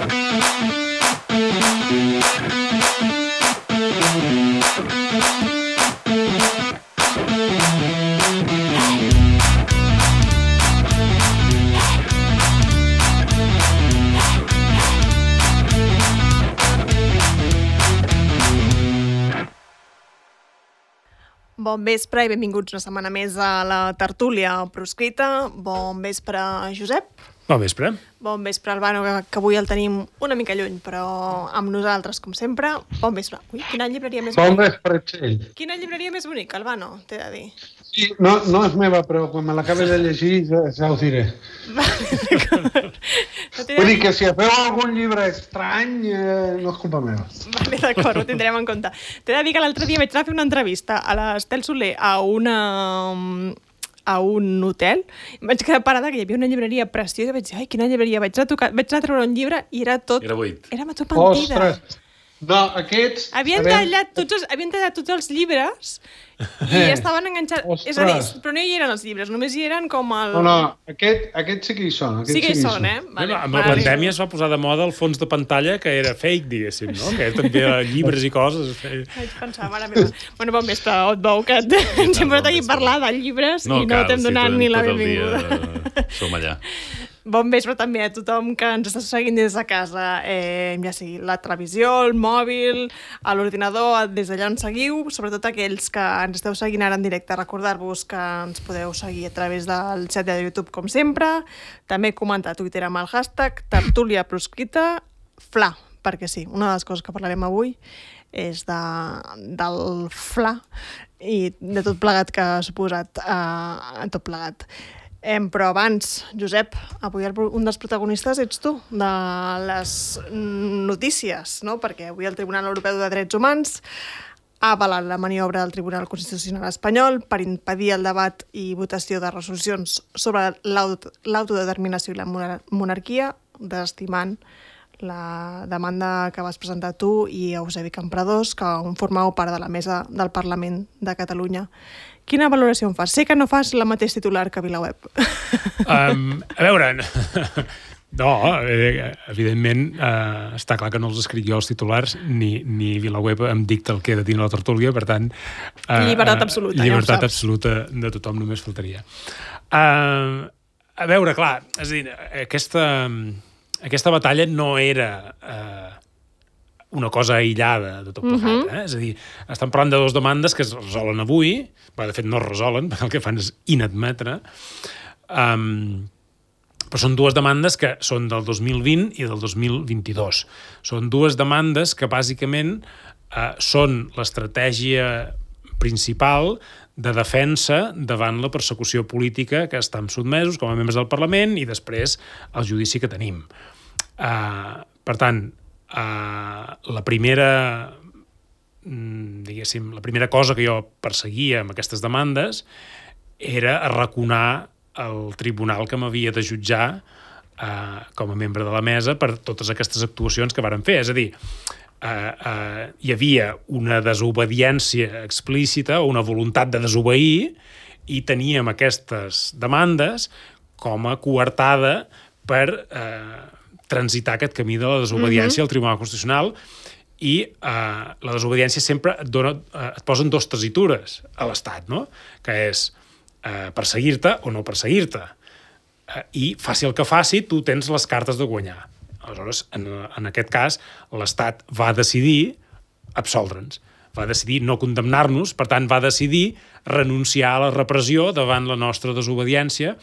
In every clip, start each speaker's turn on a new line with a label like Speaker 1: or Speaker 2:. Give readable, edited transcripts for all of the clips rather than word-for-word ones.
Speaker 1: Bon vespre i benvinguts una setmana més a la tertúlia proscrita. Bon vespre, Josep.
Speaker 2: Bon vespre.
Speaker 1: Bon vespre, Albano, que avui el tenim una mica lluny, però amb nosaltres, com sempre. Bon vespre. Ui, quina llibreria més
Speaker 3: bonica.
Speaker 1: Bon
Speaker 3: vespre, Txell.
Speaker 1: Quina llibreria més bonica, Albano, t'he de dir.
Speaker 3: Sí, no és meva, però quan me l'acabi de llegir ja ho diré. Vull dir que si feu algun llibre estrany, no és culpa meva.
Speaker 1: Vale, d'acord, ho tindrem en compte. T'he de dir que l'altre dia vaig anar a fer una entrevista a l'Estel Soler a un hotel. Em vaig quedar parada que hi havia una llibreria preciosa i vaig dir, ai, quina llibreria. Vaig anar a treure un llibre i era tot...
Speaker 2: Era buit.
Speaker 1: Era tot mentida.
Speaker 3: Ostres! No, aquests...
Speaker 1: Havien tallat tots els llibres i estaven enganxats.
Speaker 3: Ostres.
Speaker 1: És a dir, però no hi eren els llibres, només hi eren com el...
Speaker 3: No, aquests sí que hi són.
Speaker 1: Sí que hi són, eh?
Speaker 2: Vale, amb la pandèmia es va posar de moda el fons de pantalla que era fake, diguéssim, no? Que també llibres i coses.
Speaker 1: Vaig pensar, mare meva. Bueno, bon vespre, et veu que ens hem posat aquí a parlar de llibres i no t'hem donat ni la benvinguda.
Speaker 2: Som allà.
Speaker 1: Bon vespre també a tothom que ens està seguint des de casa, ja sigui la televisió, el mòbil, a l'ordinador, des d'allà on seguiu, sobretot aquells que ens esteu seguint ara en directe. Recordar-vos que ens podeu seguir a través del xat de YouTube, com sempre, també comentar a Twitter amb el hashtag tertúlia proscrita FLA, perquè sí, una de les coses que parlarem avui és del FLA i de tot plegat que ha suposat tot plegat. Però abans, Josep, avui un dels protagonistes ets tu, de les notícies, no? Perquè avui el Tribunal Europeu de Drets Humans ha avalat la maniobra del Tribunal Constitucional espanyol per impedir el debat i votació de resolucions sobre l'autodeterminació i la monarquia, desestimant la demanda que vas presentar tu i Eusebi Campradós, que formàveu part de la mesa del Parlament de Catalunya. Quina valoració en fas? Sé que no fas la mateix titular que VilaWeb.
Speaker 2: A veure, no, evidentment està clar que no els escric jo els titulars, ni VilaWeb em dicta el que he de dir a la tertúlia, per tant...
Speaker 1: Llibertat absoluta,
Speaker 2: llibertat absoluta de tothom, només faltaria. A veure, clar, és a dir, aquesta batalla no era... una cosa aïllada de tot plegat. És a dir, estan parlant de dues demandes que es resolen avui, de fet no es resolen, perquè el que fan és inadmetre, però són dues demandes que són del 2020 i del 2022. Són dues demandes que bàsicament són l'estratègia principal de defensa davant la persecució política que estan sotmesos com a membres del Parlament i després el judici que tenim. Per tant, la primera cosa que jo perseguia amb aquestes demandes era arraconar el tribunal que m'havia de jutjar com a membre de la mesa per totes aquestes actuacions que varen fer. És a dir, hi havia una desobediència explícita o una voluntat de desobeir i teníem aquestes demandes com a coartada per transitar aquest camí de la desobediència al Tribunal Constitucional i la desobediència sempre et posen dues tessitures a l'Estat, no? Que és perseguir-te o no perseguir-te. I faci el que faci, tu tens les cartes de guanyar. Aleshores, en aquest cas, l'Estat va decidir absoldre'ns, va decidir no condemnar-nos, per tant, va decidir renunciar a la repressió davant la nostra desobediència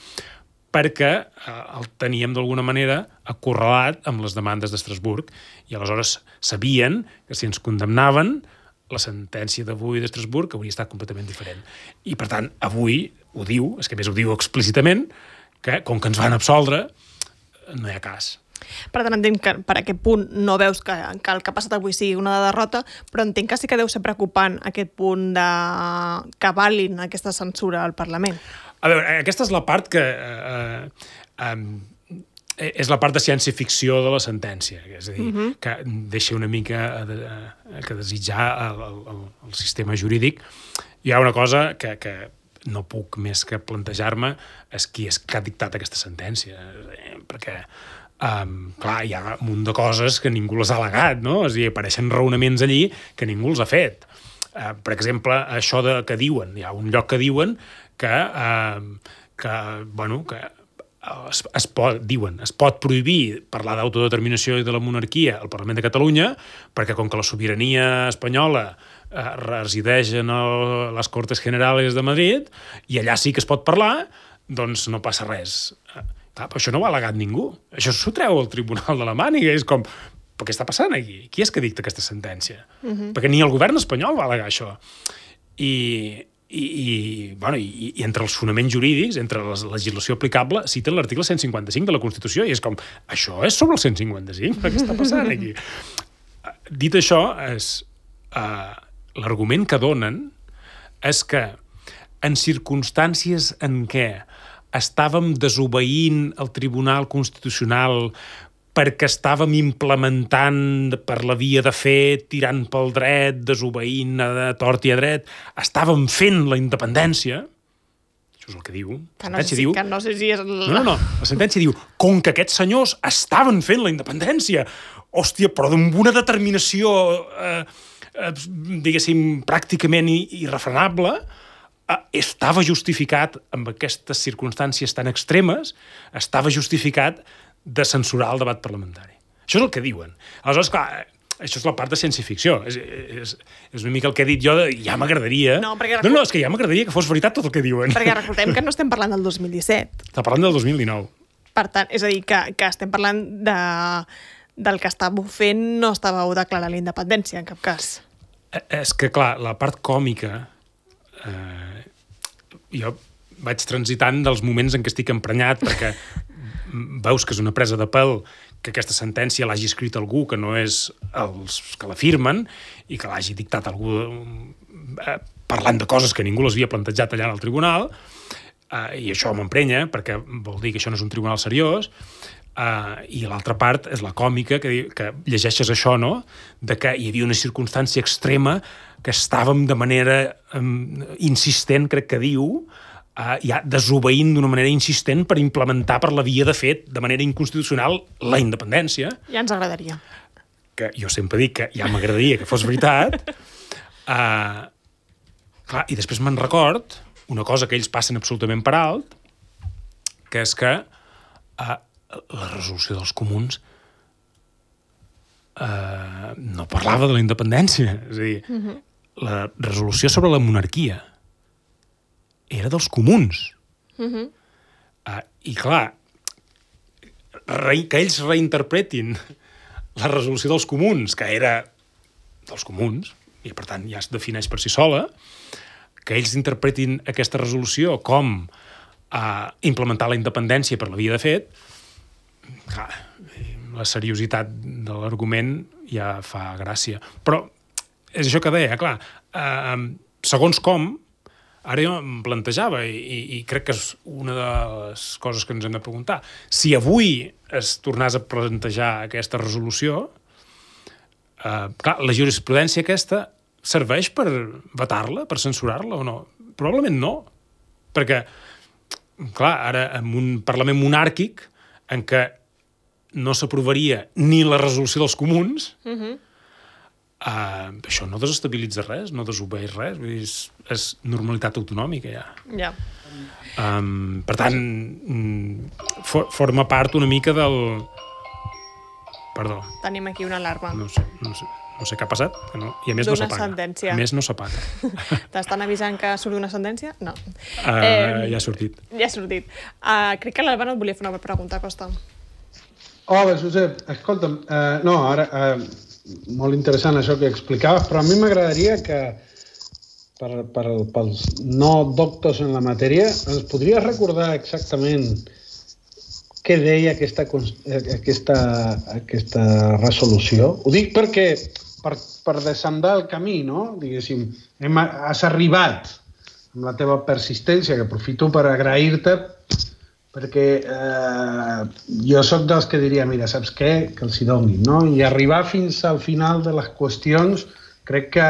Speaker 2: perquè el teníem d'alguna manera acorralat amb les demandes d'Estrasburg i aleshores sabien que si ens condemnaven la sentència d'avui d'Estrasburg hauria estat completament diferent. I per tant, avui ho diu, és que més ho diu explícitament, que com que ens van absoldre no hi ha cas.
Speaker 1: Per tant, entenc que per aquest punt no veus que el que ha passat avui sigui una derrota, però entenc que sí que deu ser preocupant aquest punt de que avalin aquesta censura al Parlament.
Speaker 2: A veure, aquesta és la part que és la part de ciència-ficció de la sentència, és a dir, que deixa una mica que desitjar el sistema jurídic. Hi ha una cosa que no puc més que plantejar-me és qui és que ha dictat aquesta sentència, perquè clar, hi ha un munt de coses que ningú les ha al·legat, no? És a dir, apareixen raonaments allí que ningú els ha fet. Per exemple, això que diuen, hi ha un lloc que diuen que es pot prohibir parlar d'autodeterminació i de la monarquia al Parlament de Catalunya perquè com que la sobirania espanyola resideix en les Cortes Generales de Madrid i allà sí que es pot parlar, doncs no passa res. Però això no ho ha al·legat ningú. Això s'ho treu el Tribunal de la Màniga. És com, però què està passant aquí? Qui és que dicta aquesta sentència? Perquè ni el govern espanyol va al·legar això. I entre els fonaments jurídics, entre la legislació aplicable, citen l'article 155 de la Constitució i és com, això és sobre el 155? Què està passant aquí? Dit això, l'argument que donen és que en circumstàncies en què estàvem desobeint el Tribunal Constitucional perquè estàvem implementant per la via de fet, tirant pel dret, desobeint a tort i a dret, estàvem fent la independència, això és el que diu,
Speaker 1: la
Speaker 2: sentència diu, com que aquests senyors estaven fent la independència, hòstia, però amb una determinació, diguéssim, pràcticament irrefrenable, estava justificat, amb aquestes circumstàncies tan extremes, estava justificat de censurar el debat parlamentari. Això és el que diuen. Aleshores, clar, això és la part de ciència-ficció. És una mica el que he dit jo, ja m'agradaria... No, és que ja m'agradaria que fos veritat tot el que diuen.
Speaker 1: Perquè recordem que no estem parlant del 2017.
Speaker 2: Està parlant del 2019.
Speaker 1: Per tant, és a dir, que estem parlant del que estàveu fent, no estàveu declarant la independència, en cap cas.
Speaker 2: És que, clar, la part còmica... jo vaig transitant dels moments en què estic emprenyat perquè veus que és una presa de pèl que aquesta sentència l'hagi escrit algú que no és els que la firmen i que l'hagi dictat algú parlant de coses que ningú les havia plantejat allà al tribunal i això m'emprenya perquè vol dir que això no és un tribunal seriós i l'altra part és la còmica que llegeixes això, no? De que hi havia una circumstància extrema que estàvem de manera insistent, crec que diu, ja desobeint d'una manera insistent per implementar per la via de fet, de manera inconstitucional, la independència.
Speaker 1: Ja ens agradaria.
Speaker 2: Que jo sempre dic que ja m'agradaria que fos veritat. Clar, i després me'n record una cosa que ells passen absolutament per alt, que és que la resolució dels comuns no parlava de la independència. És a dir, la resolució sobre la monarquia era dels comuns. I clar, que ells reinterpretin la resolució dels comuns, que era dels comuns, i per tant ja es defineix per si sola, que ells interpretin aquesta resolució com implementar la independència per la via de fet, clar, la seriositat de l'argument ja fa gràcia. Però és això que deia, clar, segons com, ara jo em plantejava, i crec que és una de les coses que ens hem de preguntar, si avui es tornés a plantejar aquesta resolució, clar, la jurisprudència aquesta serveix per vetar-la, per censurar-la o no? Probablement no, perquè, clar, ara en un Parlament monàrquic en què no s'aprovaria ni la resolució dels comuns, això no desestabilitza res, no desobeeix res, és normalitat autonòmica ja.
Speaker 1: Ja.
Speaker 2: Per tant, forma part una mica del... Perdó.
Speaker 1: Tenim aquí una alarma.
Speaker 2: No sé què ha passat, que no. I a més no s'apaga.
Speaker 1: Sentència.
Speaker 2: A més no s'apaga.
Speaker 1: T'estan avisant que surt una sentència? No.
Speaker 2: Ja ha sortit.
Speaker 1: Ja ha sortit. Crec que l'Albano et volia fer una pregunta, Costa.
Speaker 3: Hola, Josep. Escolta'm, no, ara... molt interessant això que explicaves, però a mi m'agradaria que pels no doctors en la matèria ens podries recordar exactament què deia aquesta resolució? Ho dic perquè per desandar el camí, no? Diguéssim, has arribat amb la teva persistència, que aprofito per agrair-te perquè jo sóc dels que diria, mira, saps què? Que els hi donin, no? I arribar fins al final de les qüestions crec que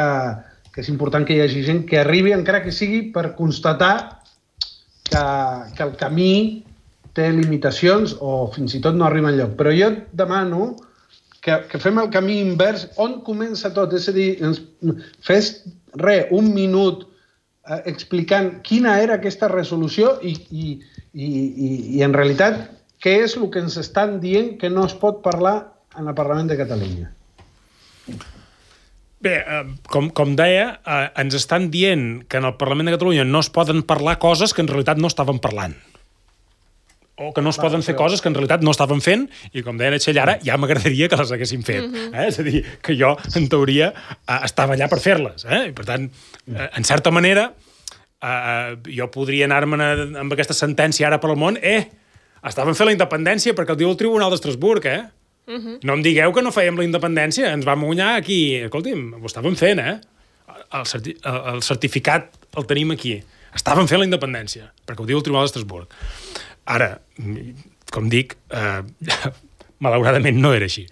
Speaker 3: és important que hi hagi gent que arribi, encara que sigui per constatar que el camí té limitacions o fins i tot no arriba enlloc. Però jo demano que fem el camí invers. On comença tot? És a dir, fes un minut explicant quina era aquesta resolució i en realitat què és el que ens estan dient que no es pot parlar en el Parlament de Catalunya.
Speaker 2: Bé, com deia, ens estan dient que en el Parlament de Catalunya no es poden parlar coses que en realitat no estaven parlant. O que no es poden fer coses que en realitat no estaven fent, i com deia Txell ara, ja m'agradaria que les haguessin fet. És a dir, que jo, en teoria, estava allà per fer-les. I, per tant, en certa manera, jo podria anar-me'n amb aquesta sentència ara per al món, estaven fent la independència perquè el diu el Tribunal d'Estrasburg, No em digueu que no fèiem la independència, ens vam guanyar aquí. Escolti'm, ho estàvem fent, el certificat el tenim aquí. Estàvem fent la independència, perquè ho diu el Tribunal d'Estrasburg. Ara, com dic, malauradament no era així.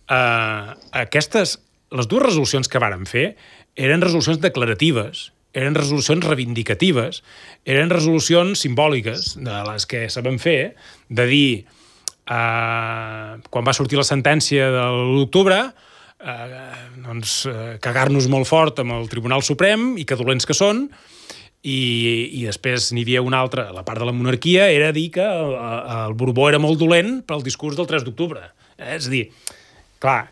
Speaker 2: Les dues resolucions que vàrem fer eren resolucions declaratives, eren resolucions reivindicatives, eren resolucions simbòliques de les que sabem fer, de dir, quan va sortir la sentència de l'octubre, cagar-nos molt fort amb el Tribunal Suprem i que dolents que són, i després n'hi havia una altra, la part de la monarquia, era dir que el Borbó era molt dolent pel discurs del 3 d'octubre. És a dir, clar,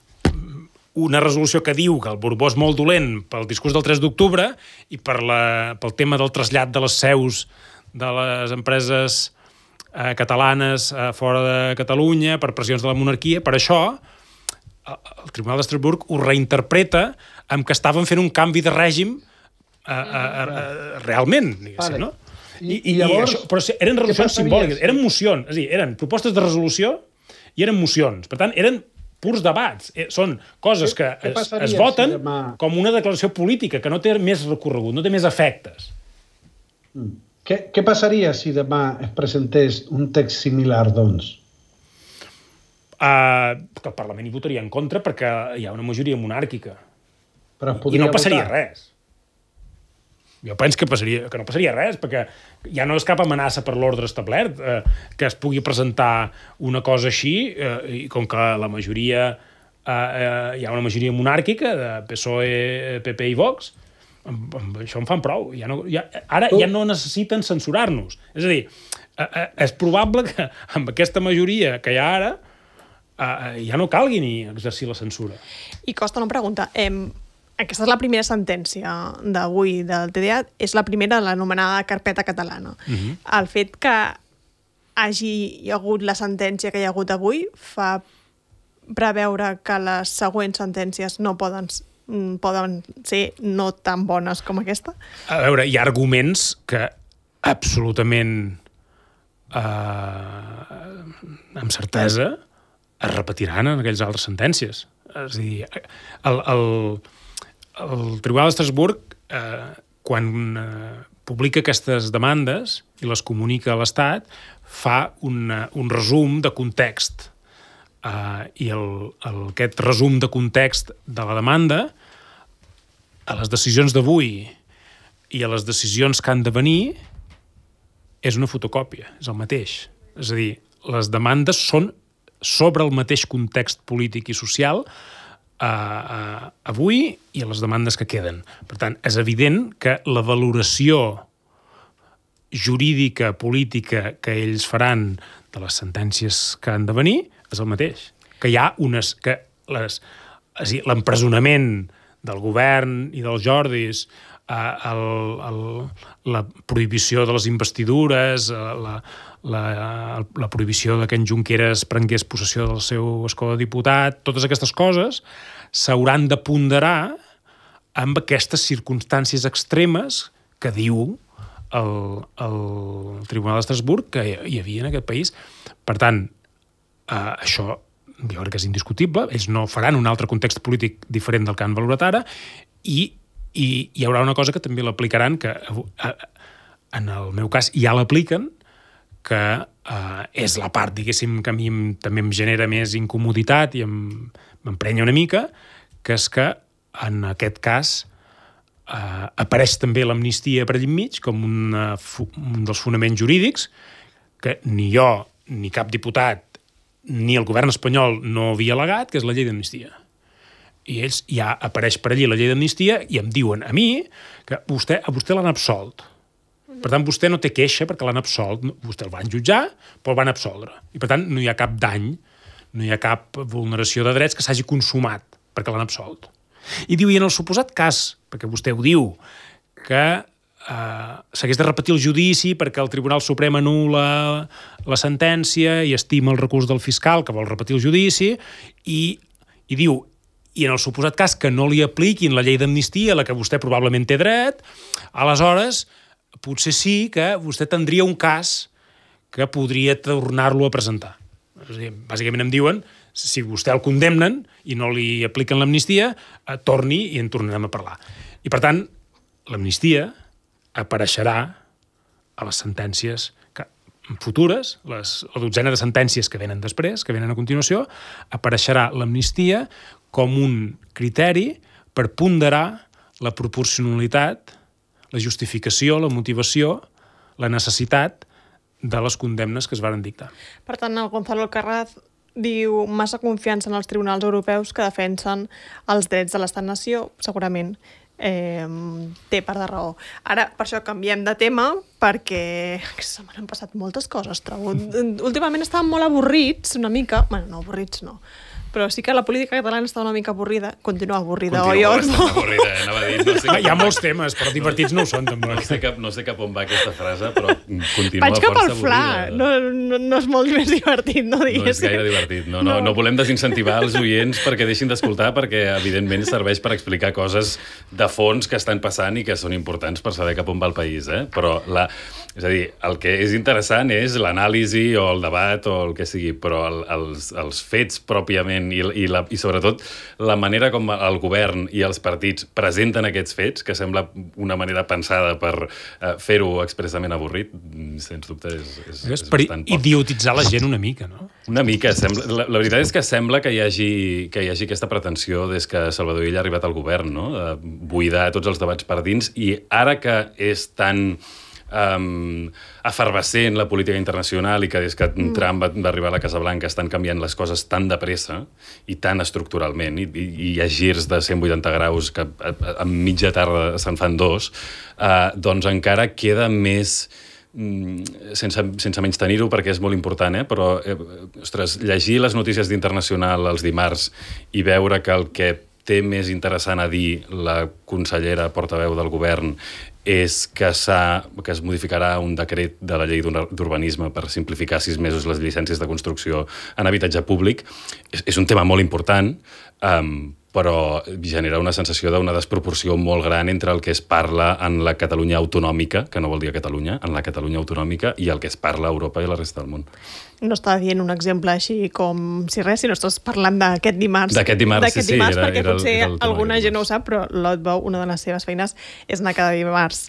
Speaker 2: una resolució que diu que el Borbó és molt dolent pel discurs del 3 d'octubre i pel tema del trasllat de les seus de les empreses catalanes fora de Catalunya, per pressions de la monarquia, per això el Tribunal d'Estrasburg ho reinterpreta amb que estaven fent un canvi de règim realment, diguéssim, no? I llavors, això, però eren resolucions simbòliques, eren mocions, és a dir, eren propostes de resolució i eren mocions. Per tant, eren purs debats. Són coses que es voten com una declaració política, que no té més recorregut, no té més efectes.
Speaker 3: Què passaria si demà es presentés un text similar, doncs?
Speaker 2: Que el Parlament hi votaria en contra perquè hi ha una majoria monàrquica. I no passaria res. Jo penso que no passaria res, perquè ja no és cap amenaça per l'ordre establert que es pugui presentar una cosa així, i com que la majoria hi ha una majoria monàrquica de PSOE, PP i Vox, això en fan prou. Ara ja no necessiten censurar-nos. És a dir, és probable que amb aquesta majoria que hi ha ara ja no calgui ni exercir la censura.
Speaker 1: I Costa, una pregunta. Aquesta és la primera sentència d'avui del TDA, és la primera de l'anomenada carpeta catalana. El fet que hi hagut la sentència que hi ha hagut avui fa preveure que les següents sentències no poden ser no tan bones com aquesta?
Speaker 2: A veure, hi ha arguments que absolutament amb certesa es repetiran en aquelles altres sentències. És a dir, el Tribunal d'Estrasburg, quan publica aquestes demandes i les comunica a l'Estat, fa un resum de context. I aquest resum de context de la demanda, a les decisions d'avui i a les decisions que han de venir, és una fotocòpia, és el mateix. És a dir, les demandes són sobre el mateix context polític i social avui i a les demandes que queden. Per tant, és evident que la valoració jurídica, política que ells faran de les sentències que han de venir és el mateix. Que hi ha l'empresonament del govern i dels Jordis, la prohibició de les investidures, la prohibició que en Junqueras prengués possessió del seu escó de diputat, totes aquestes coses s'hauran de ponderar amb aquestes circumstàncies extremes que diu el Tribunal d'Estrasburg que hi havia en aquest país. Per tant, això jo crec que és indiscutible. Ells no faran un altre context polític diferent del que han valorat ara, i hi haurà una cosa que també l'aplicaran, que en el meu cas ja l'apliquen, que és la part, diguéssim, que a mi també em genera més incomoditat i m'emprenya una mica, que és que en aquest cas apareix també l'amnistia per allà enmig com un dels fonaments jurídics que ni jo, ni cap diputat, ni el govern espanyol no havia al·legat, que és la llei d'amnistia. I ells ja apareix per allí la llei d'amnistia i em diuen a mi que a vostè l'han absolt. Per tant, vostè no té queixa perquè l'han absolt. Vostè el van jutjar, però el van absoldre. I per tant, no hi ha cap dany, no hi ha cap vulneració de drets que s'hagi consumat perquè l'han absolt. I diu, i en el suposat cas, perquè vostè ho diu, que s'hagués de repetir el judici perquè el Tribunal Suprem anul·la la sentència i estima el recurs del fiscal que vol repetir el judici i diu, i en el suposat cas que no li apliquin la llei d'amnistia a la que vostè probablement té dret, aleshores potser sí que vostè tindria un cas que podria tornar-lo a presentar. És a dir, bàsicament em diuen, si vostè el condemnen i no li apliquen l'amnistia, torni i en tornarem a parlar. I per tant, l'amnistia apareixerà a les sentències futures, la dotzena de sentències que venen després, que venen a continuació, apareixerà l'amnistia com un criteri per ponderar la proporcionalitat, la justificació, la motivació, la necessitat de les condemnes que es varen dictar.
Speaker 1: Per tant, el Gonzalo Alcaraz diu massa confiança en els tribunals europeus que defensen els drets de l'estat-nació, segurament té part de raó. Ara, per això canviem de tema, perquè se m'han passat moltes coses, trobo. Últimament estàvem molt avorrits, una mica. Bueno, no, avorrits no. Però sí que la política catalana està una mica avorrida. Continua avorrida, oi?
Speaker 4: Continua avorrida, anava a dir. No sé
Speaker 2: hi ha molts temes, però divertits no ho són, tampoc.
Speaker 4: No sé cap on va aquesta frase, però continua
Speaker 1: vaig cap al
Speaker 4: força
Speaker 1: fla.
Speaker 4: avorrida.
Speaker 1: No és molt més divertit, no digués.
Speaker 4: No és gaire divertit. No volem desincentivar els oients perquè deixin d'escoltar, perquè evidentment serveix per explicar coses de fons que estan passant i que són importants per saber cap on va el país. Però és a dir, el que és interessant és l'anàlisi o el debat o el que sigui, però els fets pròpiament i sobretot la manera com el govern i els partits presenten aquests fets, que sembla una manera pensada per fer-ho expressament avorrit, sens dubte és bastant poc.
Speaker 2: Idiotitzar la gent una mica, no?
Speaker 4: Una mica. La veritat és que sembla que hi hagi aquesta pretensió des que Salvador Illa ha arribat al govern, no? De buidar tots els debats per dins, i ara que és tan efervescent la política internacional i que des que Trump va arribar a la Casa Blanca estan canviant les coses tan de pressa i tan estructuralment, i hi ha girs de 180 graus que a mitja tarda se'n fan dos, doncs encara queda més, sense menys tenir-ho perquè és molt important, però ostres, llegir les notícies d'Internacional els dimarts i veure que el que té més interessant a dir la consellera portaveu del govern és que es modificarà un decret de la llei d'urbanisme per simplificar 6 mesos les llicències de construcció en habitatge públic. És un tema molt important, però genera una sensació d'una desproporció molt gran entre el que es parla en la Catalunya autonòmica, que no vol dir a Catalunya, en la Catalunya autonòmica, i el que es parla a Europa i a la resta del món.
Speaker 1: No està dient un exemple així com si res, sinó estàs parlant d'aquest dimarts.
Speaker 4: D'aquest dimarts, sí.
Speaker 1: Perquè potser alguna gent no ho sap, però l'Otbou, una de les seves feines, és anar cada dimarts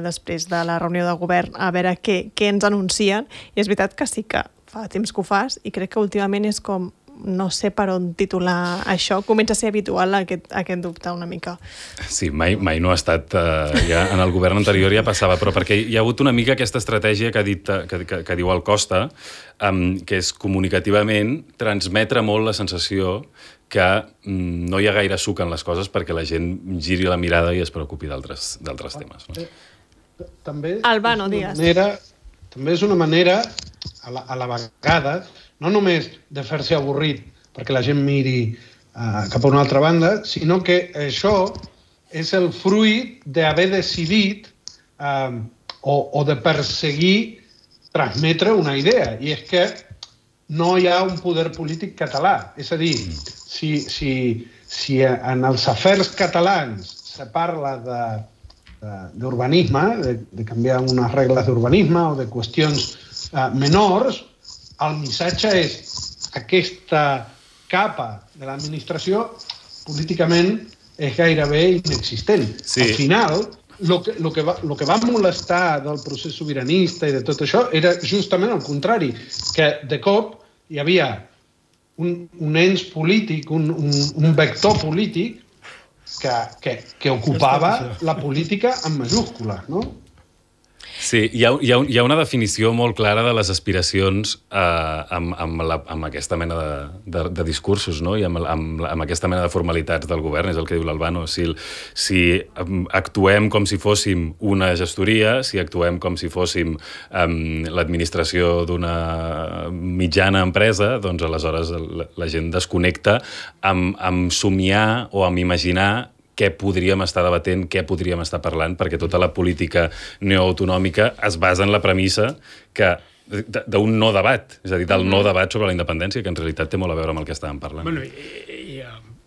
Speaker 1: després de la reunió de govern a veure què ens anuncien. I és veritat que sí que fa temps que ho fas i crec que últimament és com no sé per on titular això, comença a ser habitual aquest dubte una mica.
Speaker 4: Sí, mai no ha estat, ja en el govern anterior ja passava, però perquè hi ha hagut una mica aquesta estratègia que diu el Costa, que és comunicativament transmetre molt la sensació que no hi ha gaire suc en les coses perquè la gent giri la mirada i es preocupi d'altres temes. No?
Speaker 3: També
Speaker 1: Albano, digues.
Speaker 3: També és una manera, a la vegada, no només de fer-se avorrit perquè la gent miri cap a una altra banda, sinó que això és el fruit d'haver decidit o de perseguir transmetre una idea, i és que no hi ha un poder polític català. És a dir, si en els afers catalans se parla d'urbanisme, de canviar unes regles d'urbanisme o de qüestions menors, el missatge és aquesta capa de l'administració políticament és gairebé inexistent.
Speaker 4: Sí.
Speaker 3: Al final, lo que va molestar del procés sobiranista i de tot això era justament el contrari, que de cop hi havia un ens polític, un vector polític que ocupava la política en majúscules, no?
Speaker 4: Sí, hi ha una definició molt clara de les aspiracions amb aquesta mena de discursos, no? I amb aquesta mena de formalitats del govern, és el que diu l'Albano. Si actuem com si fóssim una gestoria, si actuem com si fóssim l'administració d'una mitjana empresa, doncs aleshores la gent desconnecta amb somiar o amb imaginar què podríem estar debatent, què podríem estar parlant, perquè tota la política neoautonòmica es basa en la premissa d'un no debat, és a dir, del no debat sobre la independència, que en realitat té molt a veure amb el que estàvem parlant.
Speaker 2: Bueno,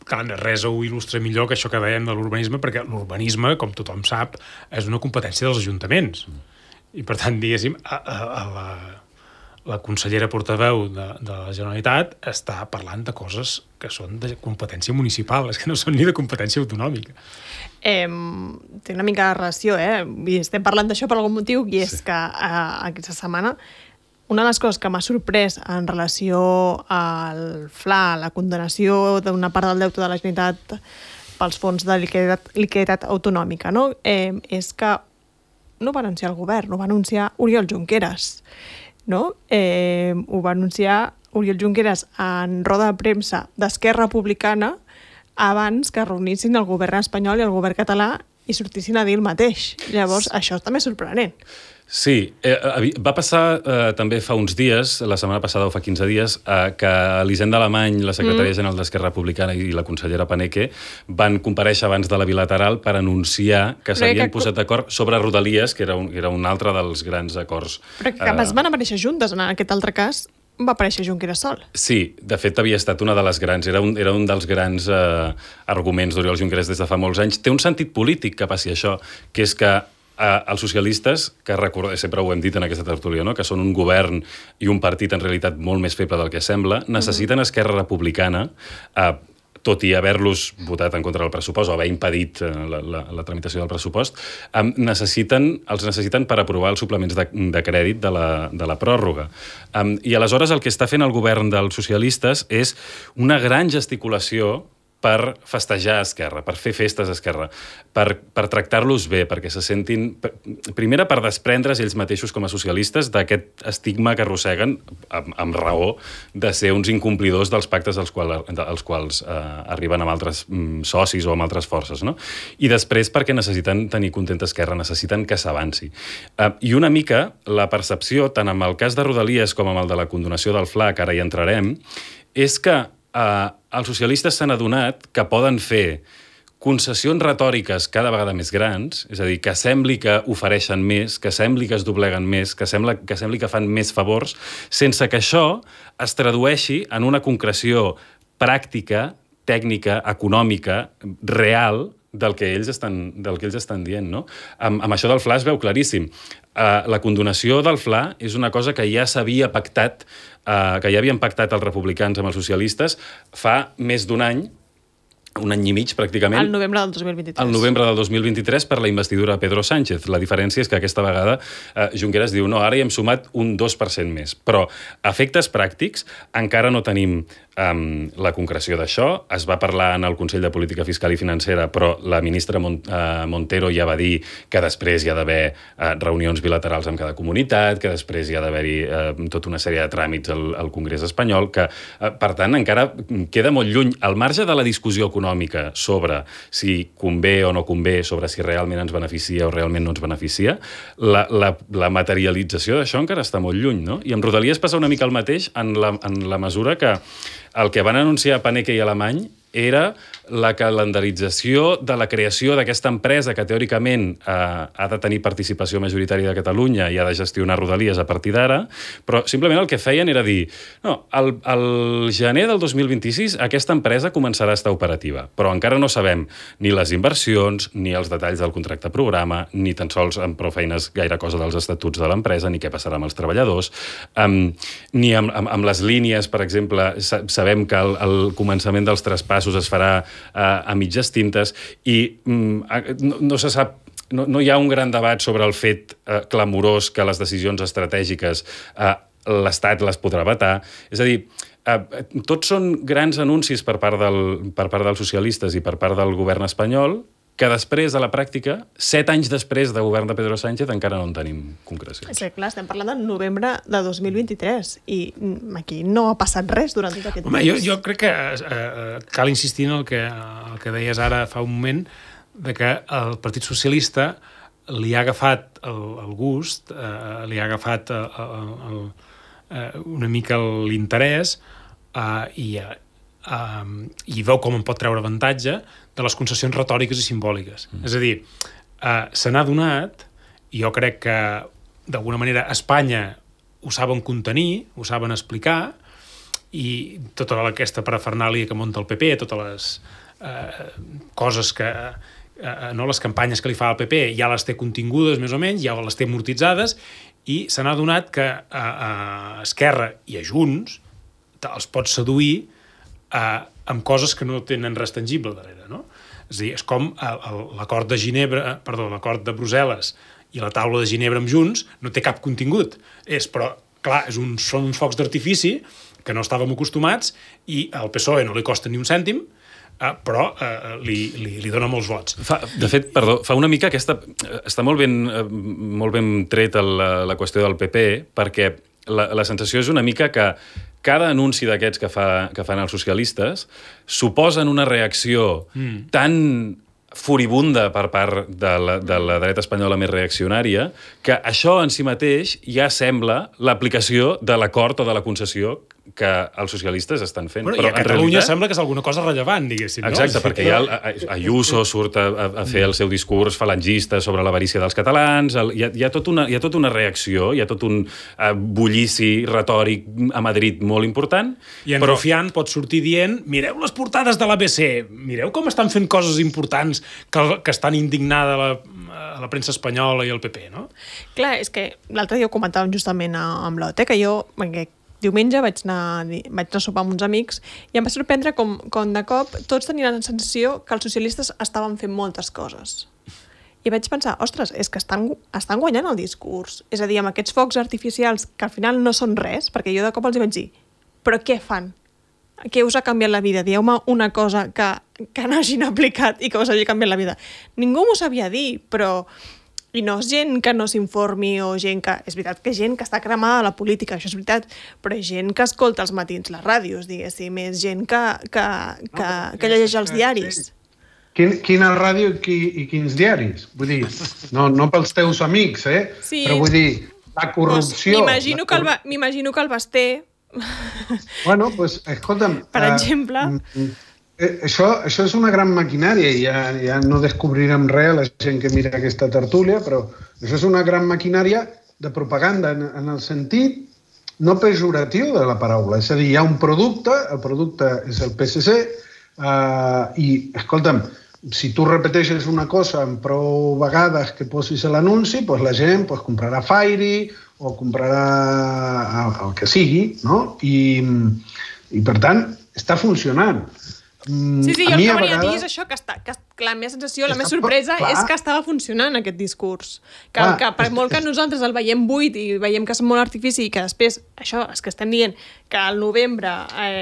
Speaker 2: clar, res ho il·lustra millor que això que dèiem de l'urbanisme, perquè l'urbanisme, com tothom sap, és una competència dels ajuntaments. I, per tant, diguéssim, la consellera portaveu de la Generalitat està parlant de coses que són de competència municipal, és que no són ni de competència autonòmica.
Speaker 1: Té una mica de relació, I estem parlant d'això per algun motiu, i és que aquesta setmana una de les coses que m'ha sorprès en relació al FLA, la condonació d'una part del deute de la Generalitat pels fons de liquiditat autonòmica, no? És que no va anunciar el govern, ho va anunciar Oriol Junqueras, no? Ho va anunciar Oriol Junqueras en roda de premsa d'Esquerra Republicana abans que reunissin el govern espanyol i el govern català i sortissin a dir el mateix. Llavors, això també és sorprenent.
Speaker 4: Sí, va passar també fa uns dies, la setmana passada o fa 15 dies, que Elisenda Alemany, la secretària general d'Esquerra Republicana i la consellera Paneque van comparèixer abans de la bilateral per anunciar que s'havien posat d'acord sobre Rodalies, que era un altre dels grans acords.
Speaker 1: Però que capaz van aparèixer juntes, en aquest altre cas va aparèixer Junqueras sol. Sí,
Speaker 4: de fet havia estat una de les grans, era un dels grans arguments d'Oriol Junqueras des de fa molts anys. Té un sentit polític que passi això, que és que els socialistes, que sempre ho hem dit en aquesta tertúlia, no? Que són un govern i un partit en realitat molt més feble del que sembla, necessiten Esquerra Republicana, tot i haver-los votat en contra del pressupost o haver impedit la tramitació del pressupost, els necessiten per aprovar els suplements de crèdit de la pròrroga. I aleshores el que està fent el govern dels socialistes és una gran gesticulació per festejar a Esquerra, per fer festes a Esquerra, per tractar-los bé, perquè se sentin... Primera, per desprendre's ells mateixos com a socialistes d'aquest estigma que arrosseguen, amb raó, de ser uns incomplidors dels pactes als quals arriben amb altres socis o amb altres forces, no? I després, perquè necessiten tenir contenta Esquerra, necessiten que s'avanci. I una mica, la percepció, tant amb el cas de Rodalies com amb el de la condonació del FLA, que ara hi entrarem, és que els socialistes s'han adonat que poden fer concessions retòriques cada vegada més grans, és a dir, que sembli que ofereixen més, que sembli que es dobleguen més, que sembli que fan més favors, sense que això es tradueixi en una concreció pràctica, tècnica, econòmica, real, del que ells estan dient, no? Amb això del FLA es veu claríssim. La condonació del FLA és una cosa que ja s'havia pactat, que ja havien pactat els republicans amb els socialistes fa més d'un any i mig, pràcticament.
Speaker 1: Al novembre del 2023.
Speaker 4: Al novembre del 2023 per la investidura de Pedro Sánchez. La diferència és que aquesta vegada Junqueras diu no, ara hi hem sumat un 2% més. Però a efectes pràctics encara no tenim la concreció d'això. Es va parlar en el Consell de Política Fiscal i Financera, però la ministra Montero ja va dir que després hi ha d'haver reunions bilaterals amb cada comunitat, que després hi ha d'haver-hi tota una sèrie de tràmits al Congrés espanyol, que, per tant, encara queda molt lluny. Al marge de la discussió econòmica sobre si convé o no convé, sobre si realment ens beneficia o realment no ens beneficia, la materialització d'això encara està molt lluny, no? I amb Rodalies passa una mica el mateix en la mesura que el que van anunciar Paneque i Alemany era la calendarització de la creació d'aquesta empresa que teòricament ha de tenir participació majoritària de Catalunya i ha de gestionar Rodalies a partir d'ara, però simplement el que feien era dir no, al gener del 2026 aquesta empresa començarà a estar operativa, però encara no sabem ni les inversions, ni els detalls del contracte programa, ni tan sols amb prou feines gaire cosa dels estatuts de l'empresa, ni què passarà amb els treballadors, ni amb les línies, per exemple, sabem que el començament dels traspassos es farà a mitges tintes i no se sap, no hi ha un gran debat sobre el fet clamorós que les decisions estratègiques l'Estat les podrà vetar. És a dir, tots són grans anuncis per part dels socialistes i per part del govern espanyol que després, a la pràctica, 7 anys després de govern de Pedro Sánchez, encara no en tenim concrecions.
Speaker 1: És que, clar, estem parlant del novembre de 2023 i aquí no ha passat res durant tot aquest temps.
Speaker 2: Jo crec que cal insistir en el que deies ara fa un moment, de que el Partit Socialista li ha agafat el gust, li ha agafat una mica l'interès i veu com en pot treure avantatge de les concessions retòriques i simbòliques. És a dir, se n'ha donat, i jo crec que d'alguna manera a Espanya ho saben contenir, ho saben explicar, i tota aquesta parafernàlia que munta el PP, totes les coses que les campanyes que li fa el PP ja les té contingudes més o menys, ja les té amortitzades, i se n'ha donat que a Esquerra i a Junts els pot seduir amb coses que no tenen res tangible darrere, no? És a dir, és com l'acord de Ginebra, l'acord de Brussel·les i la taula de Ginebra amb Junts no té cap contingut. Però, clar, són uns focs d'artifici que no estàvem acostumats i al PSOE no li costa ni un cèntim, però li dona molts vots.
Speaker 4: De fet, fa una mica aquesta... Està molt ben tret la qüestió del PP, perquè la sensació és una mica que cada anunci d'aquests que fan els socialistes suposen una reacció tan furibunda per part de la dreta espanyola més reaccionària que això en si mateix ja sembla l'aplicació de l'acord o de la concessió que els socialistes estan fent.
Speaker 2: Però i a Catalunya sembla que és alguna cosa rellevant, diguéssim.
Speaker 4: Exacte, no? Perquè ja Ayuso surt a fer el seu discurs falangista sobre l'avarícia dels catalans, hi ha tota una reacció, hi ha tot un bullici retòric a Madrid molt important.
Speaker 2: I en Rufián pot sortir dient, mireu les portades de l'ABC, mireu com estan fent coses importants que estan indignada la premsa espanyola i el PP, no?
Speaker 1: Clar, és que l'altre dia ho comentàvem justament amb l'OT, que jo diumenge vaig anar a sopar amb uns amics i em va sorprendre com de cop tots tenien la sensació que els socialistes estaven fent moltes coses. I vaig pensar, ostres, és que estan guanyant el discurs. És a dir, amb aquests focs artificials que al final no són res, perquè jo de cop els hi vaig dir, però què fan? Què us ha canviat la vida? Dieu-me una cosa que no hagin aplicat i que us hagi canviat la vida. Ningú m'ho sabia dir, però... I no és gent que no s'informi o gent que... És veritat que gent que està cremada a la política, això és veritat, però és gent que escolta als matins les ràdios, diguéssim, és gent que llegeix els diaris.
Speaker 3: Quina ràdio i quins diaris? Vull dir, no pels teus amics,
Speaker 1: Sí.
Speaker 3: Però vull dir, la corrupció...
Speaker 1: M'imagino que el Basté...
Speaker 3: Bueno, doncs, escolta'm...
Speaker 1: Per exemple...
Speaker 3: Això és una gran maquinària i ja no descobrirem res a la gent que mira aquesta tertúlia, però això és una gran maquinària de propaganda en el sentit no pejoratiu de la paraula. És a dir, hi ha un producte, el producte és el PSC i, escolta'm, si tu repeteixes una cosa en prou vegades que posis a l'anunci, doncs la gent comprarà Fairy o comprarà el que sigui, no? I per tant, està funcionant.
Speaker 1: Sí, jo el que volia dir és això, que la meva sensació, la meva sorpresa és que estava funcionant aquest discurs. Que per molt que nosaltres el veiem buit i veiem que és molt artifici i que després, això, és que estem dient que al novembre,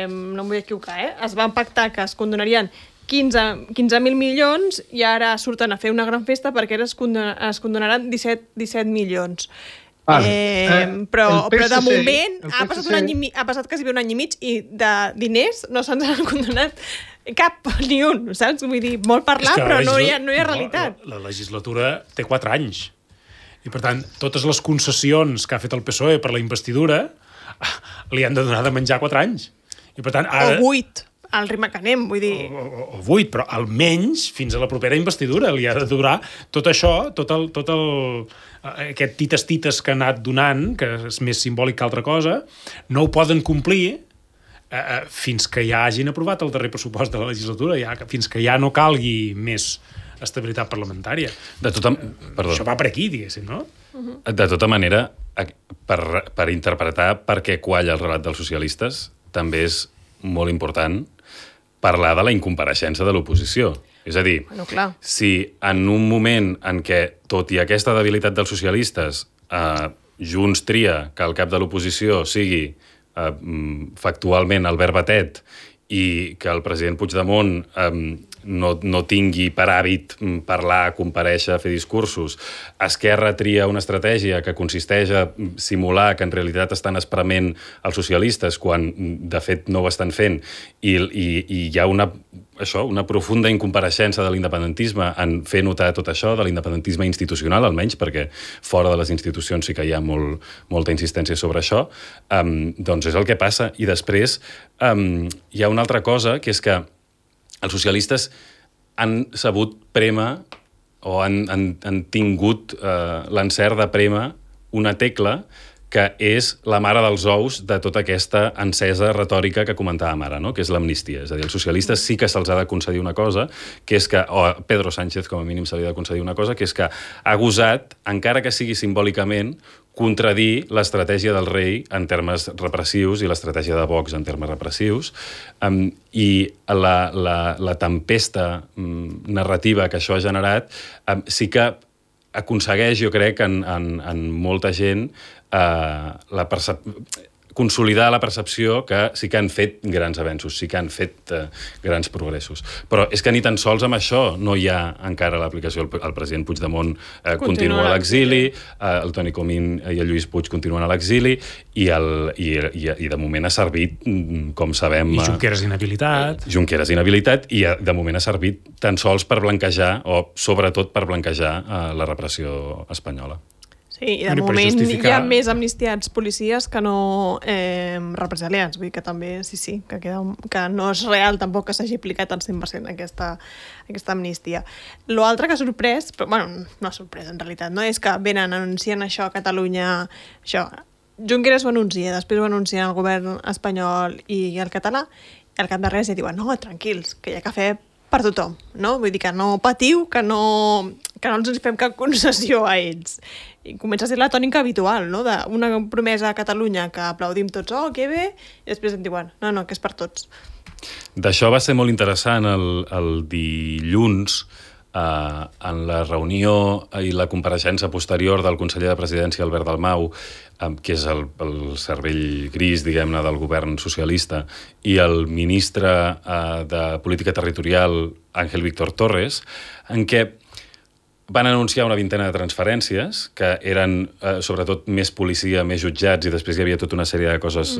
Speaker 1: no em vull equivocar, es van pactar que es condonarien 15.000 milions i ara surten a fer una gran festa perquè ara es condonaran 17 milions. Però de moment ha passat quasi un any i mig i de diners no se'ns han condonat cap ni un, saps? Vull dir, molt parlar, però no hi ha realitat.
Speaker 2: La legislatura té 4 anys i, per tant, totes les concessions que ha fet el PSOE per la investidura li han de donar de menjar 4 anys. I, per tant, ara...
Speaker 1: O 8. Al ritme que anem, vull dir...
Speaker 2: O 8, però almenys fins a la propera investidura li ha de durar tot això, aquest tites que ha anat donant, que és més simbòlic que altra cosa, no ho poden complir fins que ja hagin aprovat el darrer pressupost de la legislatura, fins que ja no calgui més estabilitat parlamentària. Això va per aquí, diguéssim, no?
Speaker 4: De tota manera, per interpretar per què qualla el relat dels socialistes, també és molt important parlar de la incompareixença de l'oposició. És a dir, si en un moment en què, tot i aquesta debilitat dels socialistes, Junts tria que el cap de l'oposició sigui factualment Albert Batet i que el president Puigdemont no tingui per hàbit parlar, comparèixer, fer discursos. Esquerra tria una estratègia que consisteix a simular que en realitat estan esprement els socialistes quan de fet no ho estan fent i hi ha una profunda incompareixença de l'independentisme en fer notar tot això, de l'independentisme institucional almenys, perquè fora de les institucions sí que hi ha molta insistència sobre això, doncs és el que passa. I després hi ha una altra cosa, que és que els socialistes han sabut prémer o han tingut l'encert de prémer una tecla que és la mare dels ous de tota aquesta encesa retòrica que comentàvem ara, no? Que és l'amnistia. És a dir, els socialistes sí que se'ls ha de concedir una cosa, que és que, o a Pedro Sánchez com a mínim se li ha de concedir una cosa, que és que ha gosat, encara que sigui simbòlicament, contradir l'estratègia del rei en termes repressius i l'estratègia de Vox en termes repressius, i la tempesta narrativa que això ha generat sí que aconsegueix, jo crec, en molta gent consolidar la percepció que sí que han fet grans avenços, sí que han fet grans progressos. Però és que ni tan sols amb això no hi ha encara l'aplicació. El president Puigdemont continua a l'exili, el Toni Comín i el Lluís Puig continuen a l'exili i de moment ha servit, com sabem...
Speaker 2: I Junqueras inhabilitat.
Speaker 4: I de moment ha servit tan sols per blanquejar, o sobretot per blanquejar la repressió espanyola.
Speaker 1: Sí, i de moment hi ha més amnistiats policies que no represaliats. Vull dir que també, sí, que no és real tampoc que s'hagi aplicat al 100% aquesta amnistia. L'altre que ha sorprès, però bueno, no ha sorprès en realitat, no? És que venen anunciant això a Catalunya, això, Junqueras ho anuncia, després ho anuncien el govern espanyol i el català, i al cap de res ja diuen, no, tranquils, que hi ha cafè per tothom, no? Vull dir que no patiu, que no ens fem cap concessió a ells. I comença a ser la tònica habitual, no? D'una promesa a Catalunya que aplaudim tots, oh, que bé, i després em diuen, no, que és per tots.
Speaker 4: D'això va ser molt interessant el dilluns, en la reunió i la compareixença posterior del conseller de Presidència, Albert Dalmau, que és el cervell gris, diguem-ne, del govern socialista, i el ministre de Política Territorial, Ángel Víctor Torres, en què van anunciar una vintena de transferències, que eren sobretot més policia, més jutjats, i després hi havia tota una sèrie de coses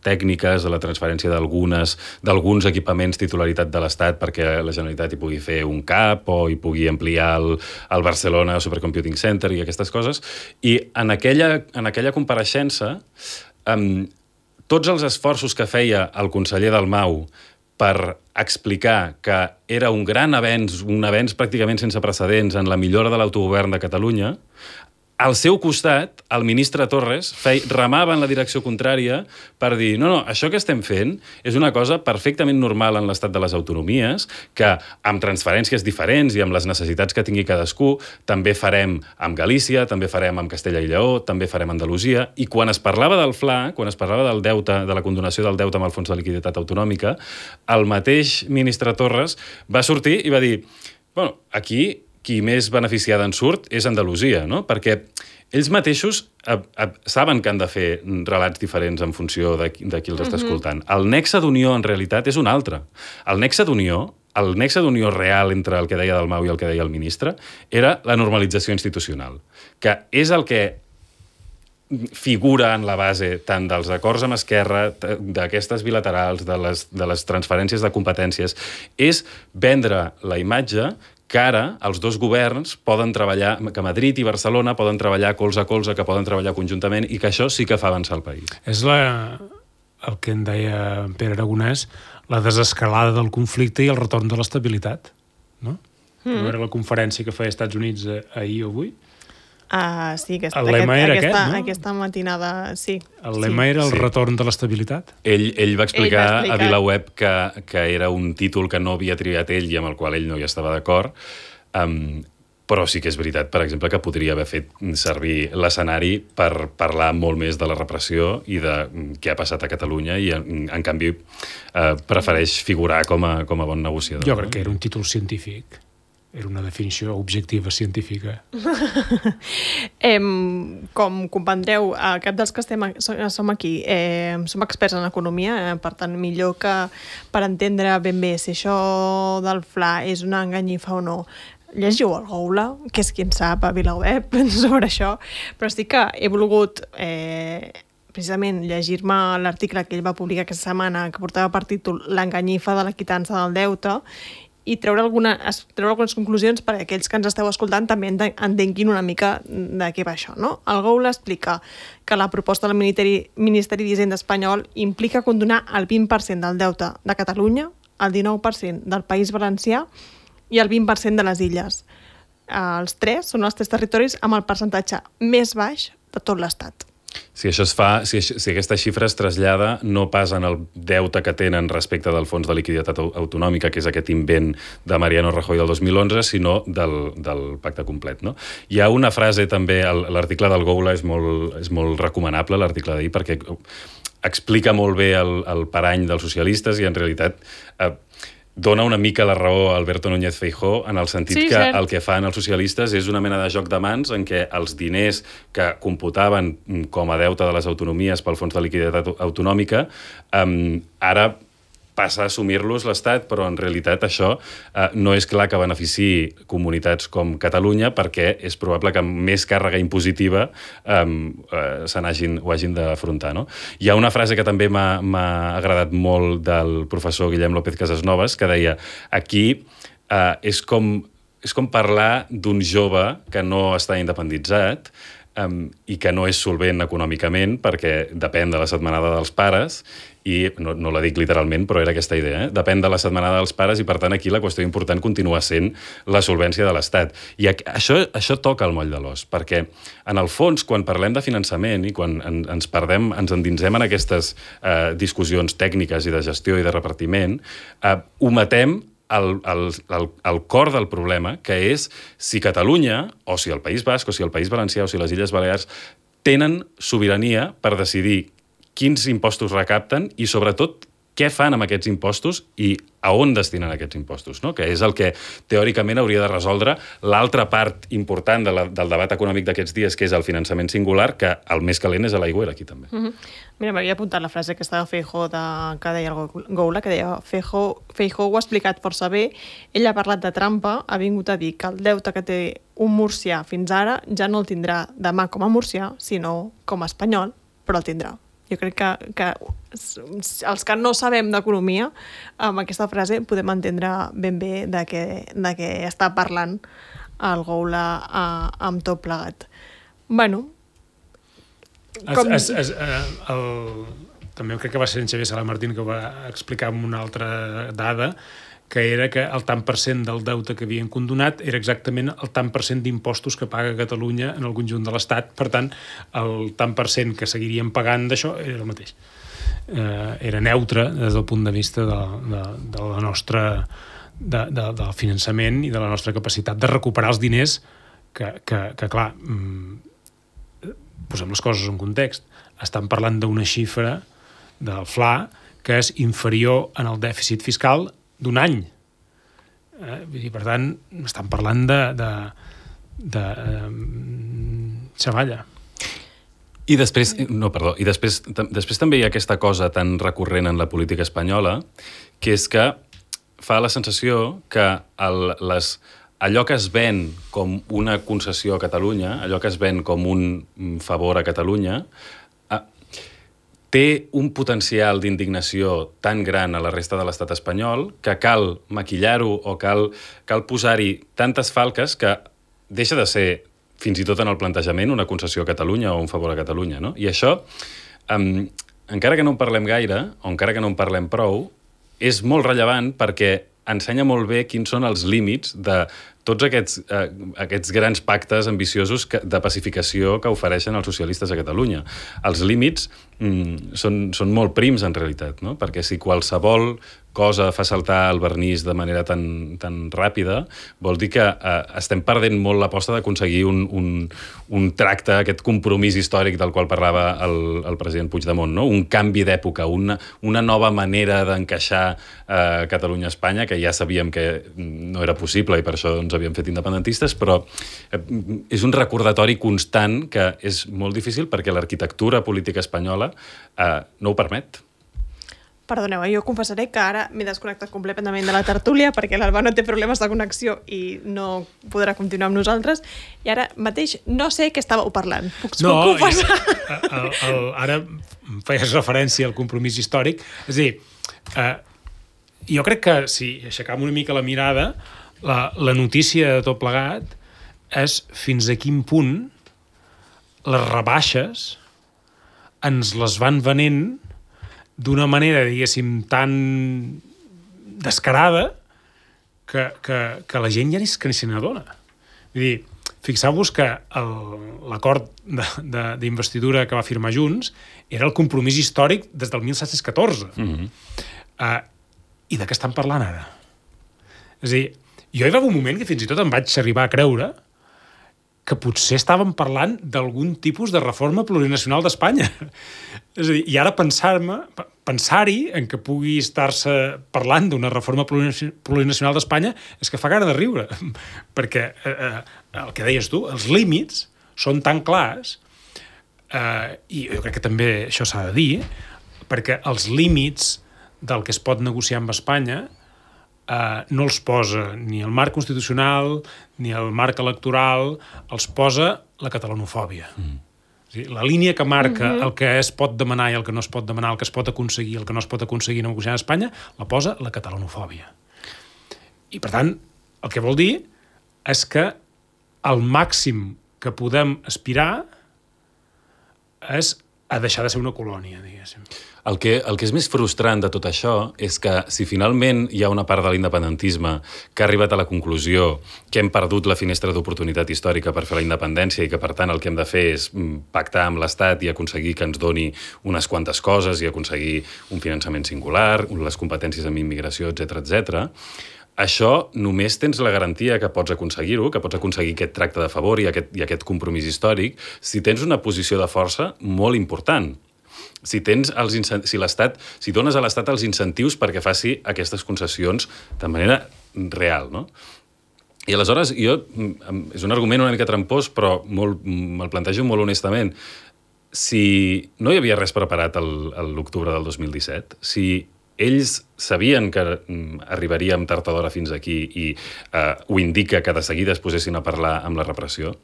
Speaker 4: tècniques, de la transferència d'alguns equipaments titularitat de l'Estat perquè la Generalitat hi pugui fer un CAP o hi pugui ampliar el Barcelona Supercomputing Center i aquestes coses. I en aquella compareixença, tots els esforços que feia el conseller Dalmau per explicar que era un gran avenç, un avenç pràcticament sense precedents en la millora de l'autogovern de Catalunya, al seu costat, el ministre Torres remava en la direcció contrària per dir, no, això que estem fent és una cosa perfectament normal en l'estat de les autonomies, que amb transferències diferents i amb les necessitats que tingui cadascú, també farem amb Galícia, també farem amb Castella i Lleó, també farem a Andalusia, i quan es parlava del FLA, quan es parlava del deute, de la condonació del deute amb el Fons de Liquiditat Autonòmica, el mateix ministre Torres va sortir i va dir, bueno, aquí qui més beneficiada en surt és Andalusia, no? Perquè ells mateixos saben que han de fer relats diferents en funció de qui els està escoltant. El nexe d'unió, en realitat, és un altre. El nexe d'unió real entre el que deia Dalmau i el que deia el ministre era la normalització institucional, que és el que figura en la base tant dels acords amb Esquerra, d'aquestes bilaterals, de les transferències de competències, és vendre la imatge que ara els dos governs poden treballar, que Madrid i Barcelona poden treballar colze a colze, que poden treballar conjuntament i que això sí que fa avançar el país.
Speaker 2: És el que en deia Pere Aragonès, la desescalada del conflicte i el retorn de l'estabilitat, no? No era la conferència que feia Estats Units ahir o avui?
Speaker 1: Sí,
Speaker 2: el lema era aquest, no?
Speaker 1: Aquesta matinada, sí.
Speaker 2: El lema era el retorn de l'estabilitat?
Speaker 4: Ell va explicar a VilaWeb que era un títol que no havia triat ell i amb el qual ell no hi estava d'acord, però sí que és veritat, per exemple, que podria haver fet servir l'escenari per parlar molt més de la repressió i de què ha passat a Catalunya i, en canvi, prefereix figurar com a bon negociador.
Speaker 2: Jo crec que era un títol científic. Era una definició objectiva científica.
Speaker 1: Com comprendreu, cap dels que som aquí som experts en economia, per tant, millor que per entendre ben bé si això del FLA és una enganyifa o no, llegiu el Goula, que és qui en sap a VilaWeb sobre això, però sí que he volgut precisament llegir-me l'article que ell va publicar aquesta setmana, que portava per títol L'enganyifa de la quitança del deute, i treure algunes conclusions perquè aquells que ens esteu escoltant també entenguin una mica de què va això, no? El Goula explica que la proposta del Ministeri d'Hisenda espanyol implica condonar el 20% del deute de Catalunya, el 19% del País Valencià i el 20% de les illes. Els tres són els tres territoris amb el percentatge més baix de tot l'Estat.
Speaker 4: Si això es fa, si aquesta xifra es trasllada no pas en el deute que tenen respecte del Fons de Liquiditat Autonòmica, que és aquest invent de Mariano Rajoy del 2011, sinó del pacte complet. No? Hi ha una frase també, l'article del Goula és molt recomanable, l'article d'ahir, perquè explica molt bé el parany dels socialistes i en realitat dona una mica la raó a Alberto Núñez Feijóo en el sentit que el que fan els socialistes és una mena de joc de mans en què els diners que computaven com a deute de les autonomies pel Fons de Liquiditat Autonòmica ara passa a assumir-los l'Estat, però en realitat això no és clar que beneficiï comunitats com Catalunya perquè és probable que amb més càrrega impositiva ho hagin d'afrontar. No? Hi ha una frase que també m'ha agradat molt del professor Guillem López Casasnovas que deia aquí és com parlar d'un jove que no està independitzat i que no és solvent econòmicament perquè depèn de la setmanada dels pares i no la dic literalment, però era aquesta idea, depèn de la setmanada dels pares i per tant aquí la qüestió important continua sent la solvència de l'Estat. I això toca el moll de l'os, perquè en el fons, quan parlem de finançament i quan ens endinsem en aquestes discussions tècniques i de gestió i de repartiment, ometem el cor del problema, que és si Catalunya, o si el País Basc, o si el País Valencià, o si les Illes Balears tenen sobirania per decidir quins impostos recapten i, sobretot, què fan amb aquests impostos i a on destinen aquests impostos, no? Que és el que teòricament hauria de resoldre l'altra part important del debat econòmic d'aquests dies, que és el finançament singular, que el més calent és a l'aigüera aquí també.
Speaker 1: Mira, m'havia apuntat la frase que estava Feijóo que deia el Goula, que deia Feijóo ho ha explicat força bé, ell ha parlat de trampa, ha vingut a dir que el deute que té un murcià fins ara ja no el tindrà demà com a murcià, sinó com a espanyol, però el tindrà. Jo crec que els que no sabem d'economia, amb aquesta frase podem entendre ben bé de què està parlant el Goula amb tot plegat. Bueno,
Speaker 2: també crec que va ser en Xavier Sala Martín que ho va explicar amb una altra dada, que era que el tant per cent del deute que havien condonat era exactament el tant per cent d'impostos que paga Catalunya en el conjunt de l'Estat. Per tant, el tant per cent que seguirien pagant d'això era el mateix. Era neutre des del punt de vista de la nostra del finançament i de la nostra capacitat de recuperar els diners que clar, posem les coses en context. Estan parlant d'una xifra del FLA que és inferior en el dèficit fiscal d'un any. Per tant, estan parlant de xavalla.
Speaker 4: I després també hi ha aquesta cosa tan recurrent en la política espanyola, que és que fa la sensació que allò que es ven com una concessió a Catalunya, allò que es ven com un favor a Catalunya, té un potencial d'indignació tan gran a la resta de l'estat espanyol que cal maquillar-ho o cal posar-hi tantes falques que deixa de ser, fins i tot en el plantejament, una concessió a Catalunya o un favor a Catalunya. No? I això, encara que no en parlem gaire, o encara que no en parlem prou, és molt rellevant perquè ensenya molt bé quins són els límits de tots aquests grans pactes ambiciosos de pacificació que ofereixen els socialistes a Catalunya. Els límits són molt prims, en realitat, no? Perquè si qualsevol cosa fa saltar el vernís de manera tan ràpida, vol dir que estem perdent molt l'aposta d'aconseguir un tracte, aquest compromís històric del qual parlava el president Puigdemont, no? Un canvi d'època, una nova manera d'encaixar Catalunya a Espanya, que ja sabíem que no era possible i per això ens s'havien fet independentistes, però és un recordatori constant que és molt difícil perquè l'arquitectura política espanyola no ho permet.
Speaker 1: Perdoneu, jo confessaré que ara m'he desconnectat completament de la tertúlia perquè l'Alba no té problemes de connexió i no podrà continuar amb nosaltres i ara mateix no sé què estàveu parlant. Puc confessar?
Speaker 2: Ara feies referència al compromís històric. És a dir, jo crec que si aixecam una mica la mirada, la notícia de tot plegat és fins a quin punt les rebaixes ens les van venent d'una manera, diguéssim, tan descarada que la gent ja ni se n'adona. Vull dir, fixeu-vos que l'acord d'investidura que va firmar Junts era el compromís històric des del 1714. I de què estan parlant ara? És a dir, jo hi va haver un moment que fins i tot em vaig arribar a creure que potser estàvem parlant d'algun tipus de reforma plurinacional d'Espanya. És a dir, i ara pensar-hi en que pugui estar-se parlant d'una reforma plurinacional d'Espanya és que fa gana de riure, perquè el que deies tu, els límits són tan clars, i jo crec que també això s'ha de dir, perquè els límits del que es pot negociar amb Espanya no els posa ni el marc constitucional ni el marc electoral, els posa la catalanofòbia. És a dir, la línia que marca el que es pot demanar i el que no es pot demanar, el que es pot aconseguir i el que no es pot aconseguir negociant a Espanya, la posa la catalanofòbia. I, per tant, el que vol dir és que el màxim que podem aspirar és a deixar de ser una colònia, diguéssim.
Speaker 4: El que és més frustrant de tot això és que si finalment hi ha una part de l'independentisme que ha arribat a la conclusió que hem perdut la finestra d'oportunitat històrica per fer la independència i que, per tant, el que hem de fer és pactar amb l'Estat i aconseguir que ens doni unes quantes coses i aconseguir un finançament singular, les competències en immigració, etc. Això només tens la garantia que pots aconseguir-ho, que pots aconseguir aquest tracte de favor i aquest compromís històric, si tens una posició de força molt important. Si dones a l'Estat els incentius perquè faci aquestes concessions de manera real, no? I aleshores, és un argument una mica trampós, però me'l plantejo molt honestament. Si no hi havia res preparat l'octubre del 2017, si ells sabien que arribaríem tard o d'hora fins aquí i ho indica que de seguida es posessin a parlar amb la repressió,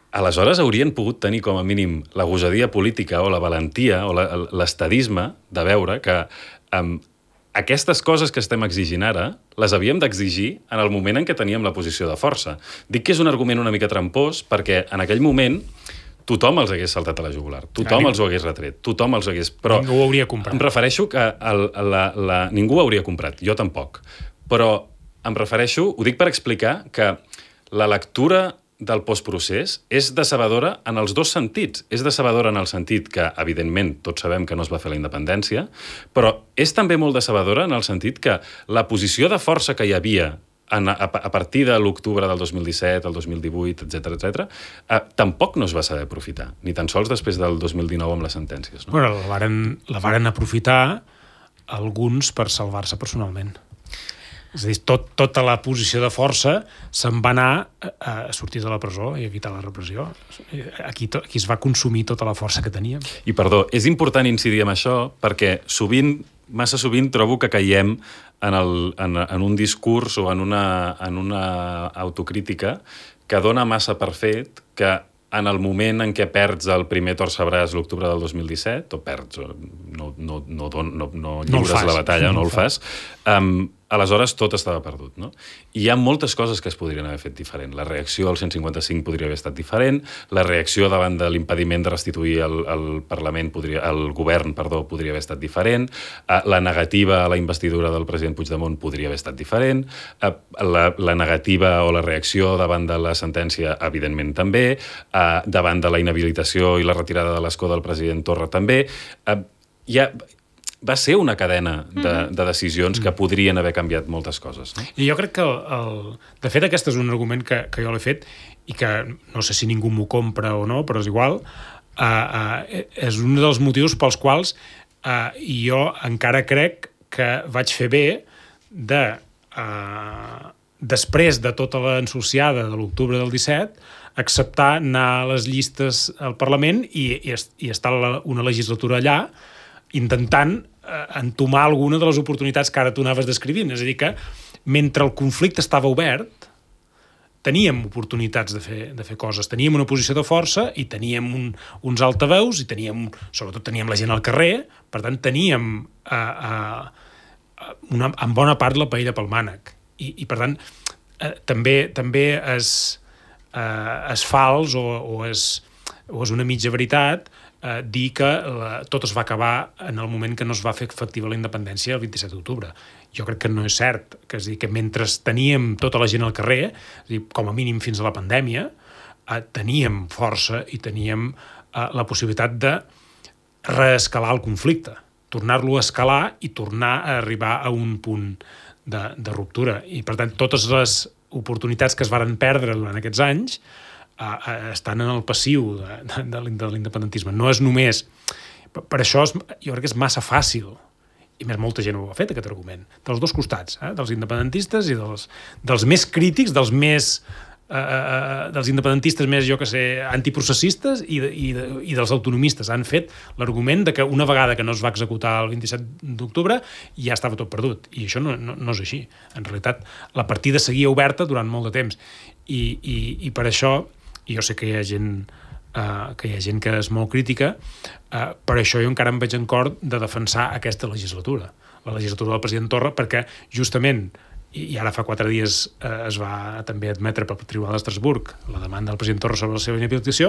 Speaker 4: aleshores haurien pogut tenir com a mínim la gosadia política o la valentia o l'estadisme de veure que aquestes coses que estem exigint ara les havíem d'exigir en el moment en què teníem la posició de força. Dic que és un argument una mica trampós perquè en aquell moment tothom els hagués saltat a la jugular, tothom els ho hagués retret, tothom els hagués... Però
Speaker 2: ningú ho hauria comprat.
Speaker 4: Em refereixo que ningú ho hauria comprat, jo tampoc. Però em refereixo, ho dic per explicar que la lectura del postprocés és decebedora en els dos sentits. És decebedora en el sentit que, evidentment, tots sabem que no es va fer la independència, però és també molt decebedora en el sentit que la posició de força que hi havia a partir de l'octubre del 2017, el 2018, etc., tampoc no es va saber aprofitar, ni tan sols després del 2019 amb les sentències. No?
Speaker 2: Bueno, la varen aprofitar alguns per salvar-se personalment. És a dir, tota la posició de força se'n va anar a sortir de la presó i evitar la repressió. Aquí es va consumir tota la força que teníem.
Speaker 4: I perdó, és important incidir en això perquè massa sovint trobo que caiem en un discurs o en una autocrítica que dona massa per fet que en el moment en què perds el primer torcebràs l'octubre del 2017, o perds, no lliures la batalla, no el fas, aleshores tot estava perdut, no? I hi ha moltes coses que es podrien haver fet diferent. La reacció al 155 podria haver estat diferent, la reacció davant de l'impediment de restituir el govern podria haver estat diferent, la negativa a la investidura del president Puigdemont podria haver estat diferent, la negativa o la reacció davant de la sentència, evidentment també, davant de la inhabilitació i la retirada de l'escó del president Torra també. Va ser una cadena de decisions que podrien haver canviat moltes coses. No?
Speaker 2: I jo crec que, de fet, aquest és un argument que jo l'he fet i que no sé si ningú m'ho compra o no, però és igual, és un dels motius pels quals jo encara crec que vaig fer bé de després de tota l'ensuciada de l'octubre del 17, acceptar anar a les llistes al Parlament i estar una legislatura allà intentant entomar alguna de les oportunitats que ara tu anaves descrivint. És a dir, que mentre el conflicte estava obert, teníem oportunitats de fer coses. Teníem una posició de força i teníem uns altaveus i sobretot teníem la gent al carrer, per tant teníem en bona part la paella pel mànec. I per tant, també és fals o és una mitja veritat dir que tot es va acabar en el moment que no es va fer efectiva la independència el 27 d'octubre. Jo crec que no és cert. És a dir, que mentre teníem tota la gent al carrer, és a dir, com a mínim fins a la pandèmia, teníem força i teníem la possibilitat de reescalar el conflicte, tornar-lo a escalar i tornar a arribar a un punt de ruptura. I, per tant, totes les oportunitats que es varen perdre durant aquests anys estan en el passiu de l'independentisme. No és només... Per això jo crec que és massa fàcil, i més molta gent ho ha fet, aquest argument, dels dos costats, dels independentistes i dels més crítics, dels independentistes més, jo que sé, antiprocessistes i dels autonomistes. Han fet l'argument de que una vegada que no es va executar el 27 d'octubre ja estava tot perdut. I això no és així. En realitat, la partida seguia oberta durant molt de temps. I per això, i jo sé que hi ha gent que és molt crítica, per això jo encara em veig en cor de defensar aquesta legislatura, la legislatura del president Torra, perquè justament, i ara fa 4 dies es va també admetre pel Tribunal d'Estrasburg la demanda del president Torra sobre la seva inhabilitació,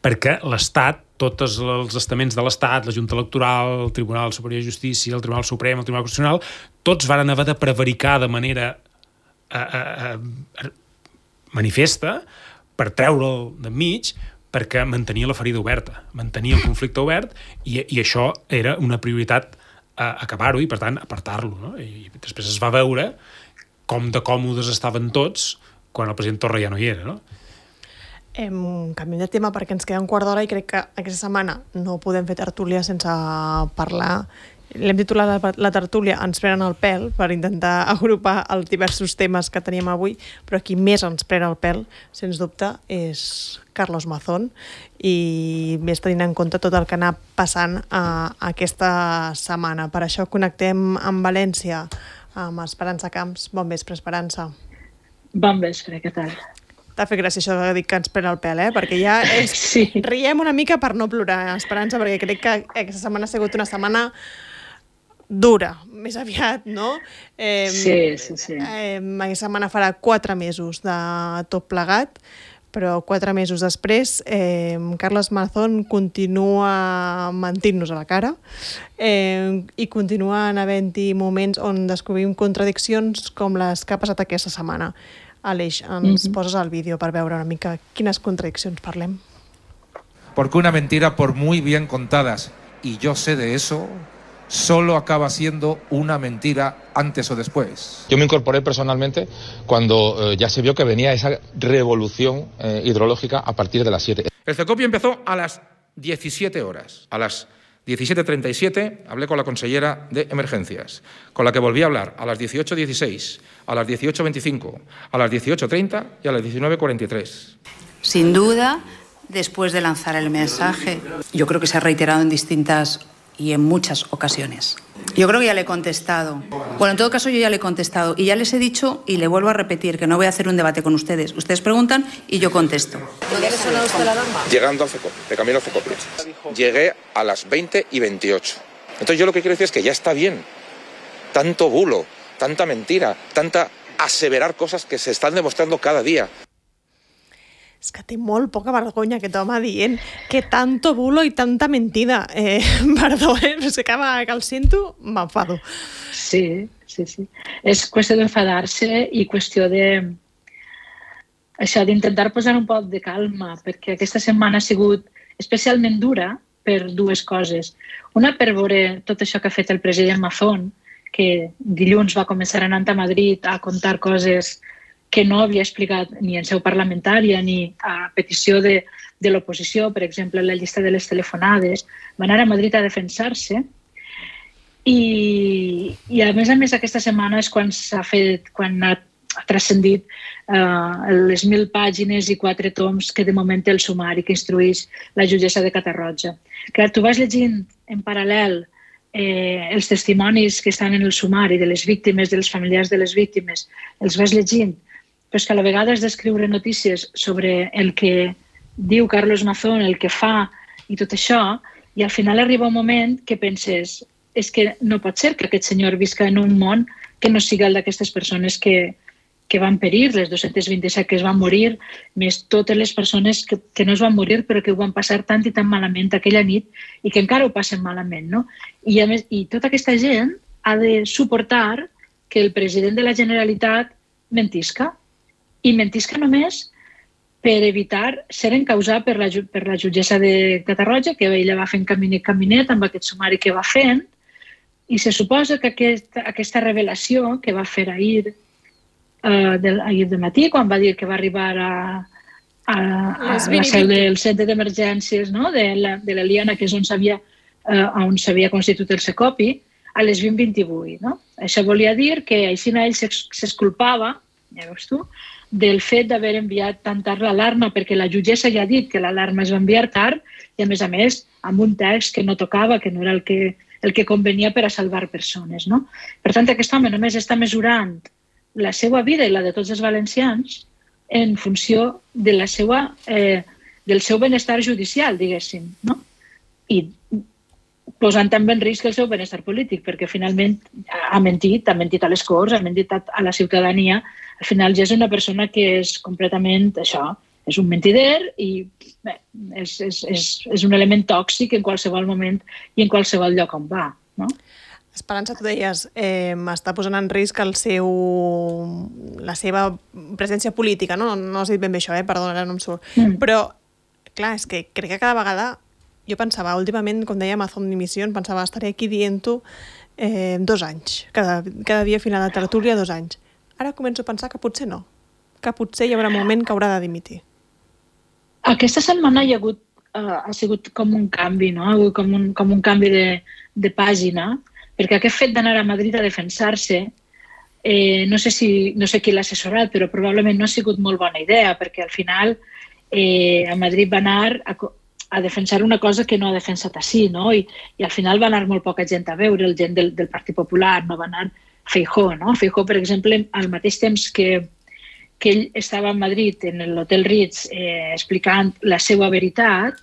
Speaker 2: perquè l'Estat, tots els estaments de l'Estat, la Junta Electoral, el Tribunal Superior de Justícia, el Tribunal Suprem, el Tribunal Constitucional, tots van haver de prevaricar de manera manifesta per treure'l d'enmig, perquè mantenia la ferida oberta, mantenia el conflicte obert, i això era una prioritat acabar-ho i, per tant, apartar-lo. No? I després es va veure com de còmodes estaven tots quan el president Torra ja no hi era. No?
Speaker 1: Canviem de tema perquè ens queda un quart d'hora i crec que aquesta setmana no podem fer tertúlia sense parlar. L'hem titulat la tertúlia Ens prenen el pèl, per intentar agrupar els diversos temes que teníem avui, però qui més ens pren el pèl, sens dubte, és Carlos Mazón, i més tenint en compte tot el que anà passant aquesta setmana. Per això connectem amb València, amb Esperança Camps. Bon vespre, Esperança.
Speaker 5: Bon vespre, què tal?
Speaker 1: T'ha fet gràcia això de dir que ens pren el pèl, perquè ja
Speaker 5: sí.
Speaker 1: Riem una mica per no plorar, Esperança, perquè crec que aquesta setmana ha sigut una setmana dura, més aviat, no?
Speaker 5: Sí.
Speaker 1: Aquesta setmana farà 4 mesos de tot plegat, però 4 mesos després Carlos Mazón continua mentint-nos a la cara i continuen havent-hi moments on descobrim contradiccions com les que ha passat aquesta setmana. Aleix, ens poses el vídeo per veure una mica quines contradiccions parlem.
Speaker 6: Porque una mentira, por muy bien contadas, y yo sé de eso, solo acaba siendo una mentira antes o después.
Speaker 7: Yo me incorporé personalmente cuando ya se vio que venía esa revolución hidrológica a partir de las 7.
Speaker 6: El CECOPI empezó a las 17 horas. A las 17:37 hablé con la consellera de Emergencias, con la que volví a hablar a las 18:16, a las 18:25, a las 18:30 y a las 19:43.
Speaker 8: Sin duda, después de lanzar el mensaje, yo creo que se ha reiterado en distintas y en muchas ocasiones. Yo creo que ya le he contestado. Bueno, en todo caso yo ya le he contestado y ya les he dicho y le vuelvo a repetir que no voy a hacer un debate con ustedes. Ustedes preguntan y yo contesto.
Speaker 1: ¿Dónde le sonó usted la alarma?
Speaker 9: Llegando al CECOPI, de camino al CECOPI. Llegué a las 20:28. Entonces yo lo que quiero decir es que ya está bien. Tanto bulo, tanta mentira, tanta aseverar cosas que se están demostrando cada día.
Speaker 1: És que té molt poca vergonya aquest home dient que tanto bulo i tanta mentida. Perdó, és que cada vegada que el sento m'enfado.
Speaker 5: Sí. És qüestió d'enfadar-se i qüestió d'intentar posar un poc de calma, perquè aquesta setmana ha sigut especialment dura per 2 coses. Una, per veure tot això que ha fet el president Mazón, que dilluns va començar anant a Madrid a contar coses que no havia explicat ni en seu parlamentària ni a petició de l'oposició, per exemple, la llista de les telefonades, va anar a Madrid a defensar-se I a més aquesta setmana és quan ha transcendit les 1.000 pàgines i 4 toms que de moment té el sumari que instrueix la jutgessa de Catarroja. Clar, tu vas llegint en paral·lel els testimonis que estan en el sumari de les víctimes, dels familiars de les víctimes, els vas llegint, però és que a la vegada has d'escriure notícies sobre el que diu Carlos Mazón, el que fa i tot això, i al final arriba un moment que penses és que no pot ser que aquest senyor visca en un món que no siga el d'aquestes persones que van perir, les 227 que es van morir, més totes les persones que no es van morir però que ho van passar tant i tan malament aquella nit i que encara ho passen malament, no? I a més, tota aquesta gent ha de suportar que el president de la Generalitat mentisca, i mentisca només per evitar ser encausat per la jutgessa de Catarroja, que ella va fent caminet amb aquest sumari que va fent, i se suposa que aquesta revelació que va fer ahir de matí, quan va dir que va arribar a la seu del centre d'emergències de l'Eliana, que és on s'havia constituït el Secopi, a les 20:28. Això volia dir que així ell s'exculpava, ja veus tu, del fet d'haver enviat tan tard l'alarma, perquè la jutgessa ja ha dit que l'alarma es va enviar tard i, a més, amb un text que no tocava, que no era el que convenia per a salvar persones. Per tant, aquest home només està mesurant la seva vida i la de tots els valencians en funció del seu benestar judicial, diguéssim, i posant també en risc el seu benestar polític, perquè finalment ha mentit a les Corts, ha mentit a la ciutadania. Al final ja és una persona que és completament això, és un mentider i és un element tòxic en qualsevol moment i en qualsevol lloc on va.
Speaker 1: Esperança, tu deies, està posant en risc la seva presència política, no has dit ben bé això, perdona, ara no em surt. Però, clar, és que crec que cada vegada, jo pensava, últimament, com deia Mazón Dimisión, pensava, estaré aquí dient-ho 2 anys, cada dia final de tertúlia 2 anys. Ara començo a pensar que potser no, que potser hi haurà un moment que haurà de dimitir.
Speaker 5: Aquesta setmana ha sigut com un canvi, com un canvi de pàgina, perquè aquest fet d'anar a Madrid a defensar-se, no sé qui l'ha assessorat, però probablement no ha sigut molt bona idea, perquè al final a Madrid va anar a defensar una cosa que no ha defensat així, i al final va anar molt poca gent a veure, el gent del Partit Popular, no va anar Feijóo. Feijóo, per exemple, al mateix temps que ell estava a Madrid, en l'Hotel Ritz, explicant la seva veritat,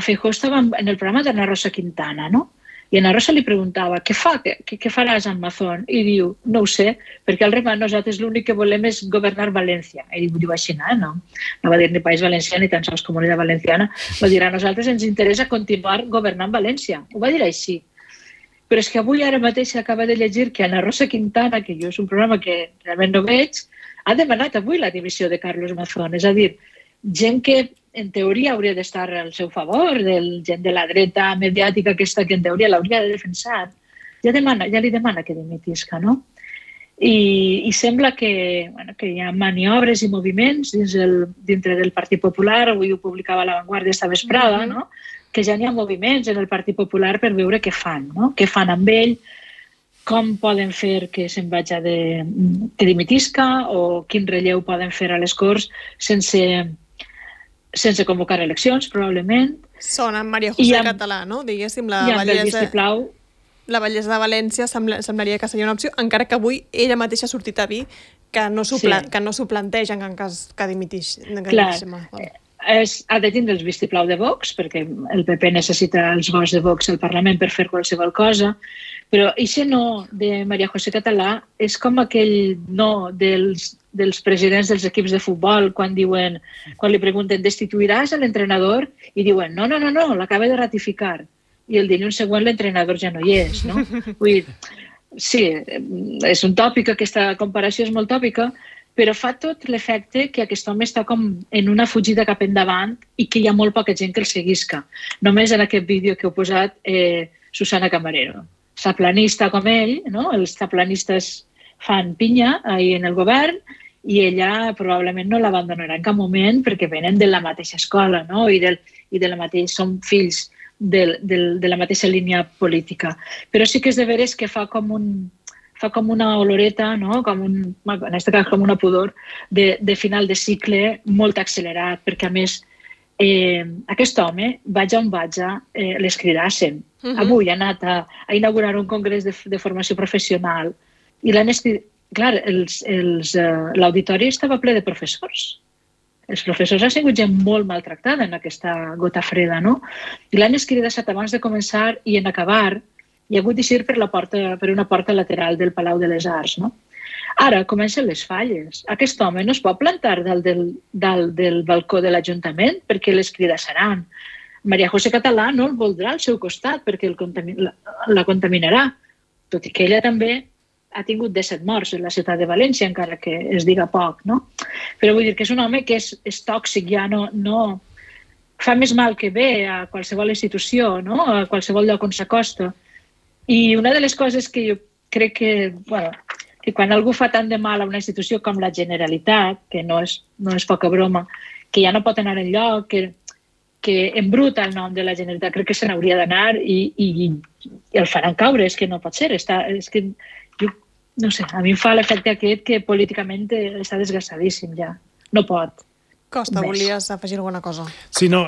Speaker 5: Feijóo estava en el programa d'Ana Rosa Quintana, i Ana Rosa li preguntava, què faràs amb Mazón? I diu, no ho sé, perquè al rima nosaltres l'únic que volem és governar València. Ell diu així, no va dir ni País Valencià ni tan sols Comunitat Valenciana, va dir a nosaltres ens interessa continuar governant València. Ho va dir així. Però és que avui ara mateix acaba de llegir que Ana Rosa Quintana, que jo és un programa que realment no veig, ha demanat avui la dimissió de Carlos Mazón. És a dir, gent que en teoria hauria d'estar al seu favor, gent de la dreta mediàtica aquesta que en teoria l'hauria de defensar, ja li demana que dimitisca, no? I sembla que hi ha maniobres i moviments dintre del Partit Popular, avui ho publicava La Vanguardia esta vesprada, que ja n'hi ha moviments en el Partit Popular per veure què fan, què fan amb ell, com poden fer que se'n vagi que dimitisca o quin relleu poden fer a les Corts sense convocar eleccions, probablement.
Speaker 1: Sona Maria José Català, no? Diguéssim, la Vallesa de València semblaria que seria una opció, encara que avui ella mateixa ha sortit a dir que no s'ho plantegen en cas que dimitix.
Speaker 5: Clar, ha de tindre el vistiplau de Vox, perquè el PP necessita els vots de Vox al Parlament per fer qualsevol cosa, però això no de Maria José Català és com aquell no dels presidents dels equips de futbol quan li pregunten destituiràs l'entrenador i diuen no, l'acaba de ratificar i el dilluns següent l'entrenador ja no hi és, no? Vull dir, sí, és un tòpic, aquesta comparació és molt tòpica, però fa tot l'efecte que aquest home està com en una fugida cap endavant i que hi ha molt poca gent que el seguisca. Només en aquest vídeo que heu posat Susana Camarero. Saplanista com ell, els saplanistes fan pinya ahir en el govern i ella probablement no l'abandonarà en cap moment perquè venen de la mateixa escola i de la mateixa, són fills de la mateixa línia política. Però sí que és de veres que fa com una oloreta, no? En aquest cas com una pudor, de final de cicle molt accelerat, perquè a més aquest home, vaja on vaja, les cridassen. Avui ha anat a inaugurar un congrés de formació professional i l'han escrit... Clar, l'auditori estava ple de professors. Els professors han sigut gent molt maltractada en aquesta gota freda, no? I l'han escridat abans de començar i en acabar i ha hagut d'eixir per una porta lateral del Palau de les Arts, no? Ara comencen les falles. Aquest home no es pot plantar dalt del balcó de l'Ajuntament perquè les cridassaran. Maria José Català no el voldrà al seu costat perquè la contaminarà, tot i que ella també ha tingut 17 morts en la ciutat de València, encara que es diga poc, no? Però vull dir que és un home que és tòxic, ja no fa més mal que bé a qualsevol institució, no? A qualsevol lloc on s'acosta. I una de les coses que jo crec que quan algú fa tant de mal a una institució com la Generalitat, que no és poca broma, que ja no pot anar enlloc, que embruta el nom de la Generalitat, crec que se n'hauria d'anar i el faran caure, és que no pot ser. És que jo, no sé, a mi em fa l'efecte aquest que políticament està desgassadíssim ja. No pot.
Speaker 1: Costa, volies afegir alguna cosa?
Speaker 2: Sí, no,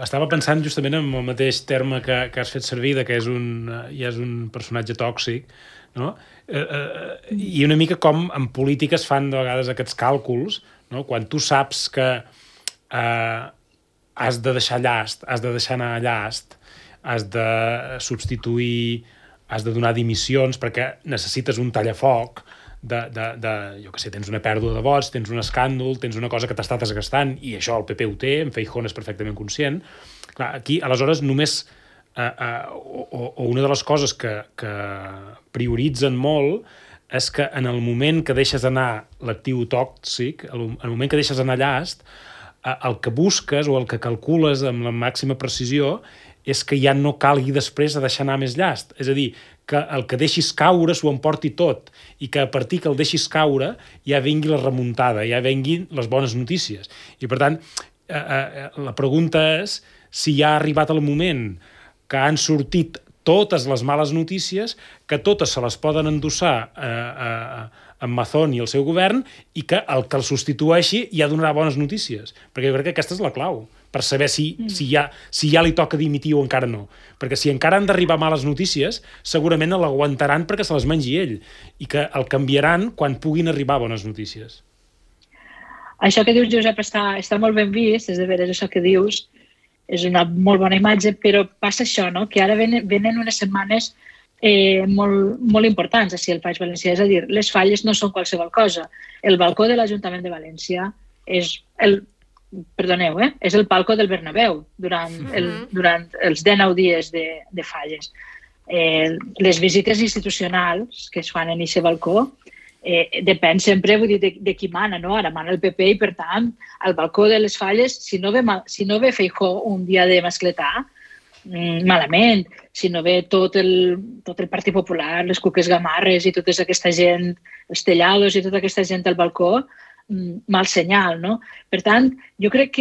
Speaker 2: estava pensant justament en el mateix terme que has fet servir, que ja és un personatge tòxic, no? I una mica com en política es fan de vegades aquests càlculs, no? Quan tu saps que has de deixar llast, has de deixar anar llast, has de substituir, has de donar dimissions perquè necessites un tallafoc jo què sé, tens una pèrdua de vots, tens un escàndol, tens una cosa que t'està desgastant, i això el PP ho té, en Feijóo és perfectament conscient. Clar, aquí, aleshores, només o una de les coses que prioritzen molt és que en el moment que deixes anar l'actiu tòxic, en el moment que deixes anar llast, el que busques o el que calcules amb la màxima precisió és que ja no calgui després a deixar anar més llast. És a dir, que el que deixis caure s'ho emporti tot i que a partir que el deixis caure ja vengui la remuntada, ja venguin les bones notícies. I, per tant, la pregunta és si ja ha arribat el moment que han sortit totes les males notícies, que totes se les poden endossar en Mazón i el seu govern i que el que el substitueixi ja donarà bones notícies. Perquè jo crec que aquesta és la clau, per saber si ja li toca dimitir o encara no. Perquè si encara han d'arribar males notícies, segurament l'aguantaran perquè se les mengi ell i que el canviaran quan puguin arribar bones notícies.
Speaker 5: Això que dius, Josep, està molt ben vist, és de veres això que dius, és una molt bona imatge, però passa això, no? Que ara venen unes setmanes molt importants així al País Valencià, és a dir, les falles no són qualsevol cosa. El balcó de l'Ajuntament de València és el palco del Bernabéu durant els 19 dies de falles. Les visites institucionals que es fan en aquest balcó depèn sempre, vull dir, de qui mana, no? Ara mana el PP i, per tant, al balcó de les falles, si no ve Feijóo un dia de mascletà, malament. Si no ve tot el Partit Popular, les Cuques Gamarres i tota aquesta gent, els Tellados i tota aquesta gent al balcó, mal senyal, no? Per tant, jo crec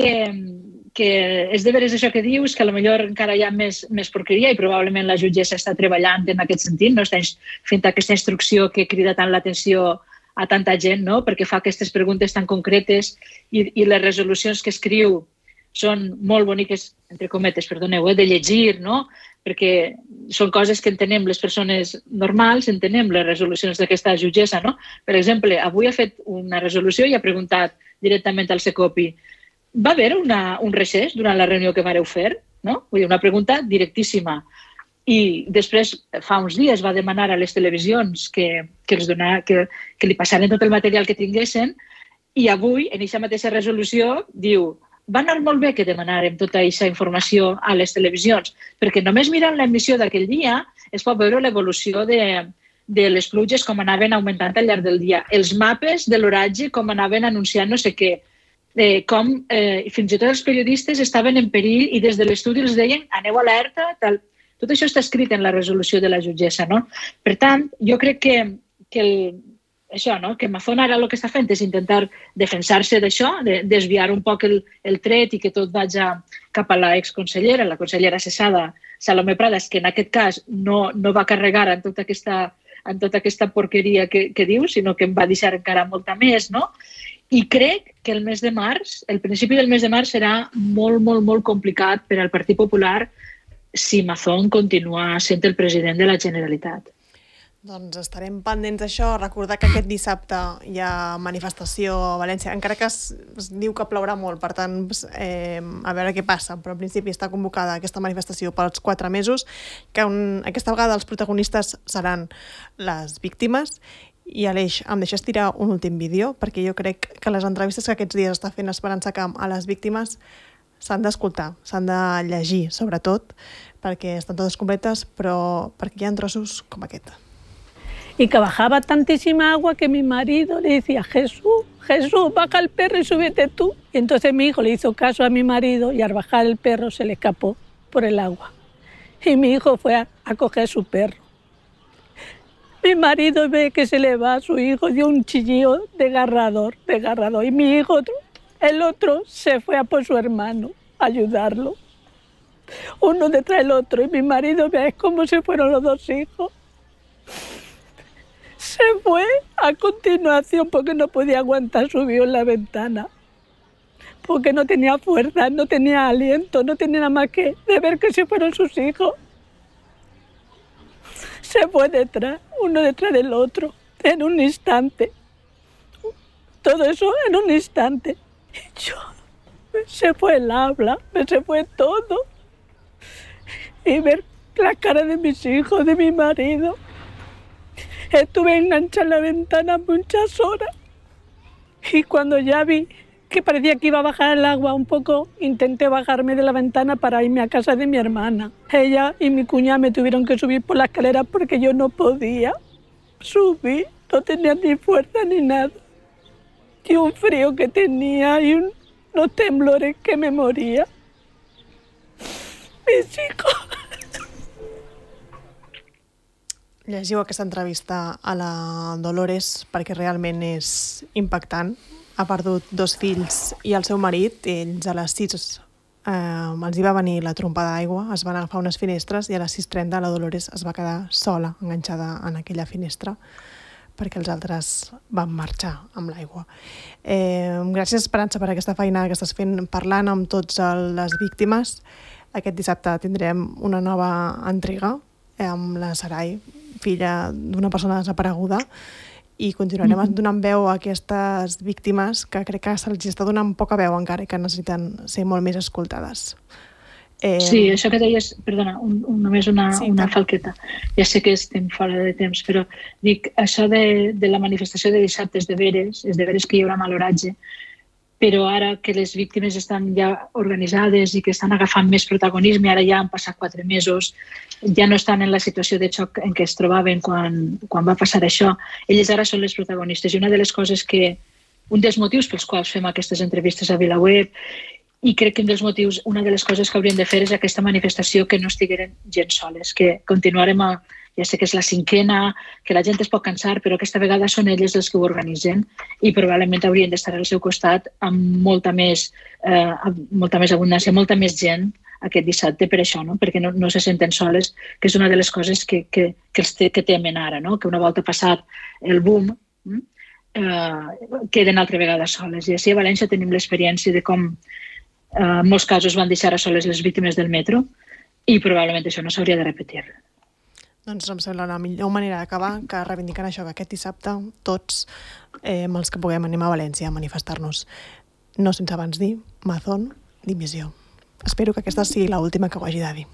Speaker 5: que és de veres això que dius, que potser encara hi ha més porqueria i probablement la jutgessa està treballant en aquest sentit, no? Està fent aquesta instrucció que crida tant l'atenció a tanta gent, no? Perquè fa aquestes preguntes tan concretes i les resolucions que escriu són molt boniques, entre cometes, perdoneu, de llegir, no? Perquè són coses que entenem les persones normals, entenem les resolucions d'aquesta jutgessa, no? Per exemple, avui ha fet una resolució i ha preguntat directament al Secopi: va haver un recés durant la reunió que vareu fer? No? Vull dir, una pregunta directíssima. I després, fa uns dies, va demanar a les televisions que li passaren tot el material que tinguessin i avui, en aquesta mateixa resolució, diu: va anar molt bé que demanàrem tota aquesta informació a les televisions, perquè només mirant l'emissió d'aquell dia es pot veure l'evolució de les pluges, com anaven augmentant al llarg del dia, els mapes de l'oratge, com anaven anunciant no sé què, com fins i tot els periodistes estaven en perill i des de l'estudi els deien aneu alerta, tal. Tot això està escrit en la resolució de la jutgessa, no? Per tant, jo crec que això, no? Que Mazón ara el que està fent és intentar defensar-se d'això, desviar un poc el tret i que tot vagi cap a l'exconsellera, la consellera cessada, Salomé Pradas, que en aquest cas no va carregar en tota aquesta porqueria que diu, sinó que em va deixar encara molta més, no? I crec que el principi del mes de març serà molt, molt, molt complicat per al Partit Popular si Mazón continua sent el president de la Generalitat.
Speaker 1: Doncs estarem pendents d'això. Recordar que aquest dissabte hi ha manifestació a València, encara que es diu que plourà molt, per tant, a veure què passa, però en principi està convocada aquesta manifestació pels 4 mesos, que aquesta vegada els protagonistes seran les víctimes. I Aleix, em deixes tirar un últim vídeo, perquè jo crec que les entrevistes que aquests dies està fent Esperança Camp a les víctimes s'han d'escoltar, s'han de llegir, sobretot, perquè estan totes completes, però perquè hi ha trossos com aquest.
Speaker 10: Y que bajaba tantísima agua que mi marido le decía, Jesús, baja el perro y súbete tú. Y entonces mi hijo le hizo caso a mi marido y al bajar el perro se le escapó por el agua. Y mi hijo fue a coger su perro. Mi marido ve que se le va a su hijo, dio un chillido desgarrador. Y mi hijo, el otro, se fue a por su hermano a ayudarlo. Uno detrás del otro. Y mi marido ve cómo se fueron los 2 hijos. Se fue a continuación porque no podía aguantar, subió en la ventana. Porque no tenía fuerza, no tenía aliento, no tenía nada más que de ver que se fueron sus hijos. Se fue detrás, uno detrás del otro, en un instante. Todo eso en un instante. Y yo, se fue el habla, se fue todo. Y ver la cara de mis hijos, de mi marido. Estuve enganchada en la ventana muchas horas y cuando ya vi que parecía que iba a bajar el agua un poco, intenté bajarme de la ventana para irme a casa de mi hermana. Ella y mi cuñada me tuvieron que subir por la escalera porque yo no podía subir, no tenía ni fuerza ni nada. Y un frío que tenía y unos temblores que me moría. Mis hijos...
Speaker 1: Llegiu aquesta entrevista a la Dolores perquè realment és impactant. Ha perdut 2 fills i el seu marit. Ells a les 6 els hi va venir la trompa d'aigua, es van agafar unes finestres i a les 6:30 la Dolores es va quedar sola, enganxada en aquella finestra, perquè els altres van marxar amb l'aigua. Gràcies, Esperança, per aquesta feina que estàs fent parlant amb totes les víctimes. Aquest dissabte tindrem una nova entrega amb la Sarai, filla d'una persona desapareguda, i continuarem donant veu a aquestes víctimes que crec que se'ls està donant poca veu encara i que necessiten ser molt més escoltades.
Speaker 5: Sí, això que deies, perdona, només una falqueta. Ja sé que estem fora de temps, però dic, això de la manifestació de dissabte és de veres que hi haurà mal oratge, però ara que les víctimes estan ja organitzades i que estan agafant més protagonisme, ara ja han passat 4 mesos, ja no estan en la situació de xoc en què es trobaven quan va passar això. Elles ara són les protagonistes. I una de les coses un dels motius pels quals fem aquestes entrevistes a VilaWeb, i crec que una de les coses que hauríem de fer és aquesta manifestació, que no estigueren gens soles, que continuarem ja sé que és la 5ª, que la gent es pot cansar, però aquesta vegada són elles els que ho organitzen i probablement haurien d'estar al seu costat amb molta més abundància, molta més gent aquest dissabte per això, no? Perquè no se senten soles, que és una de les coses que temen ara, no? Que una volta passat el boom queden altra vegada soles. I així a València tenim l'experiència de com en molts casos van deixar a soles les víctimes del metro i probablement això no s'hauria de repetir.
Speaker 1: Doncs em sembla la millor manera d'acabar que reivindicant això, que aquest dissabte tots els que puguem anem a València a manifestar-nos. No sense abans dir Mazón, dimissió. Espero que aquesta sigui l'última que ho hagi de dir.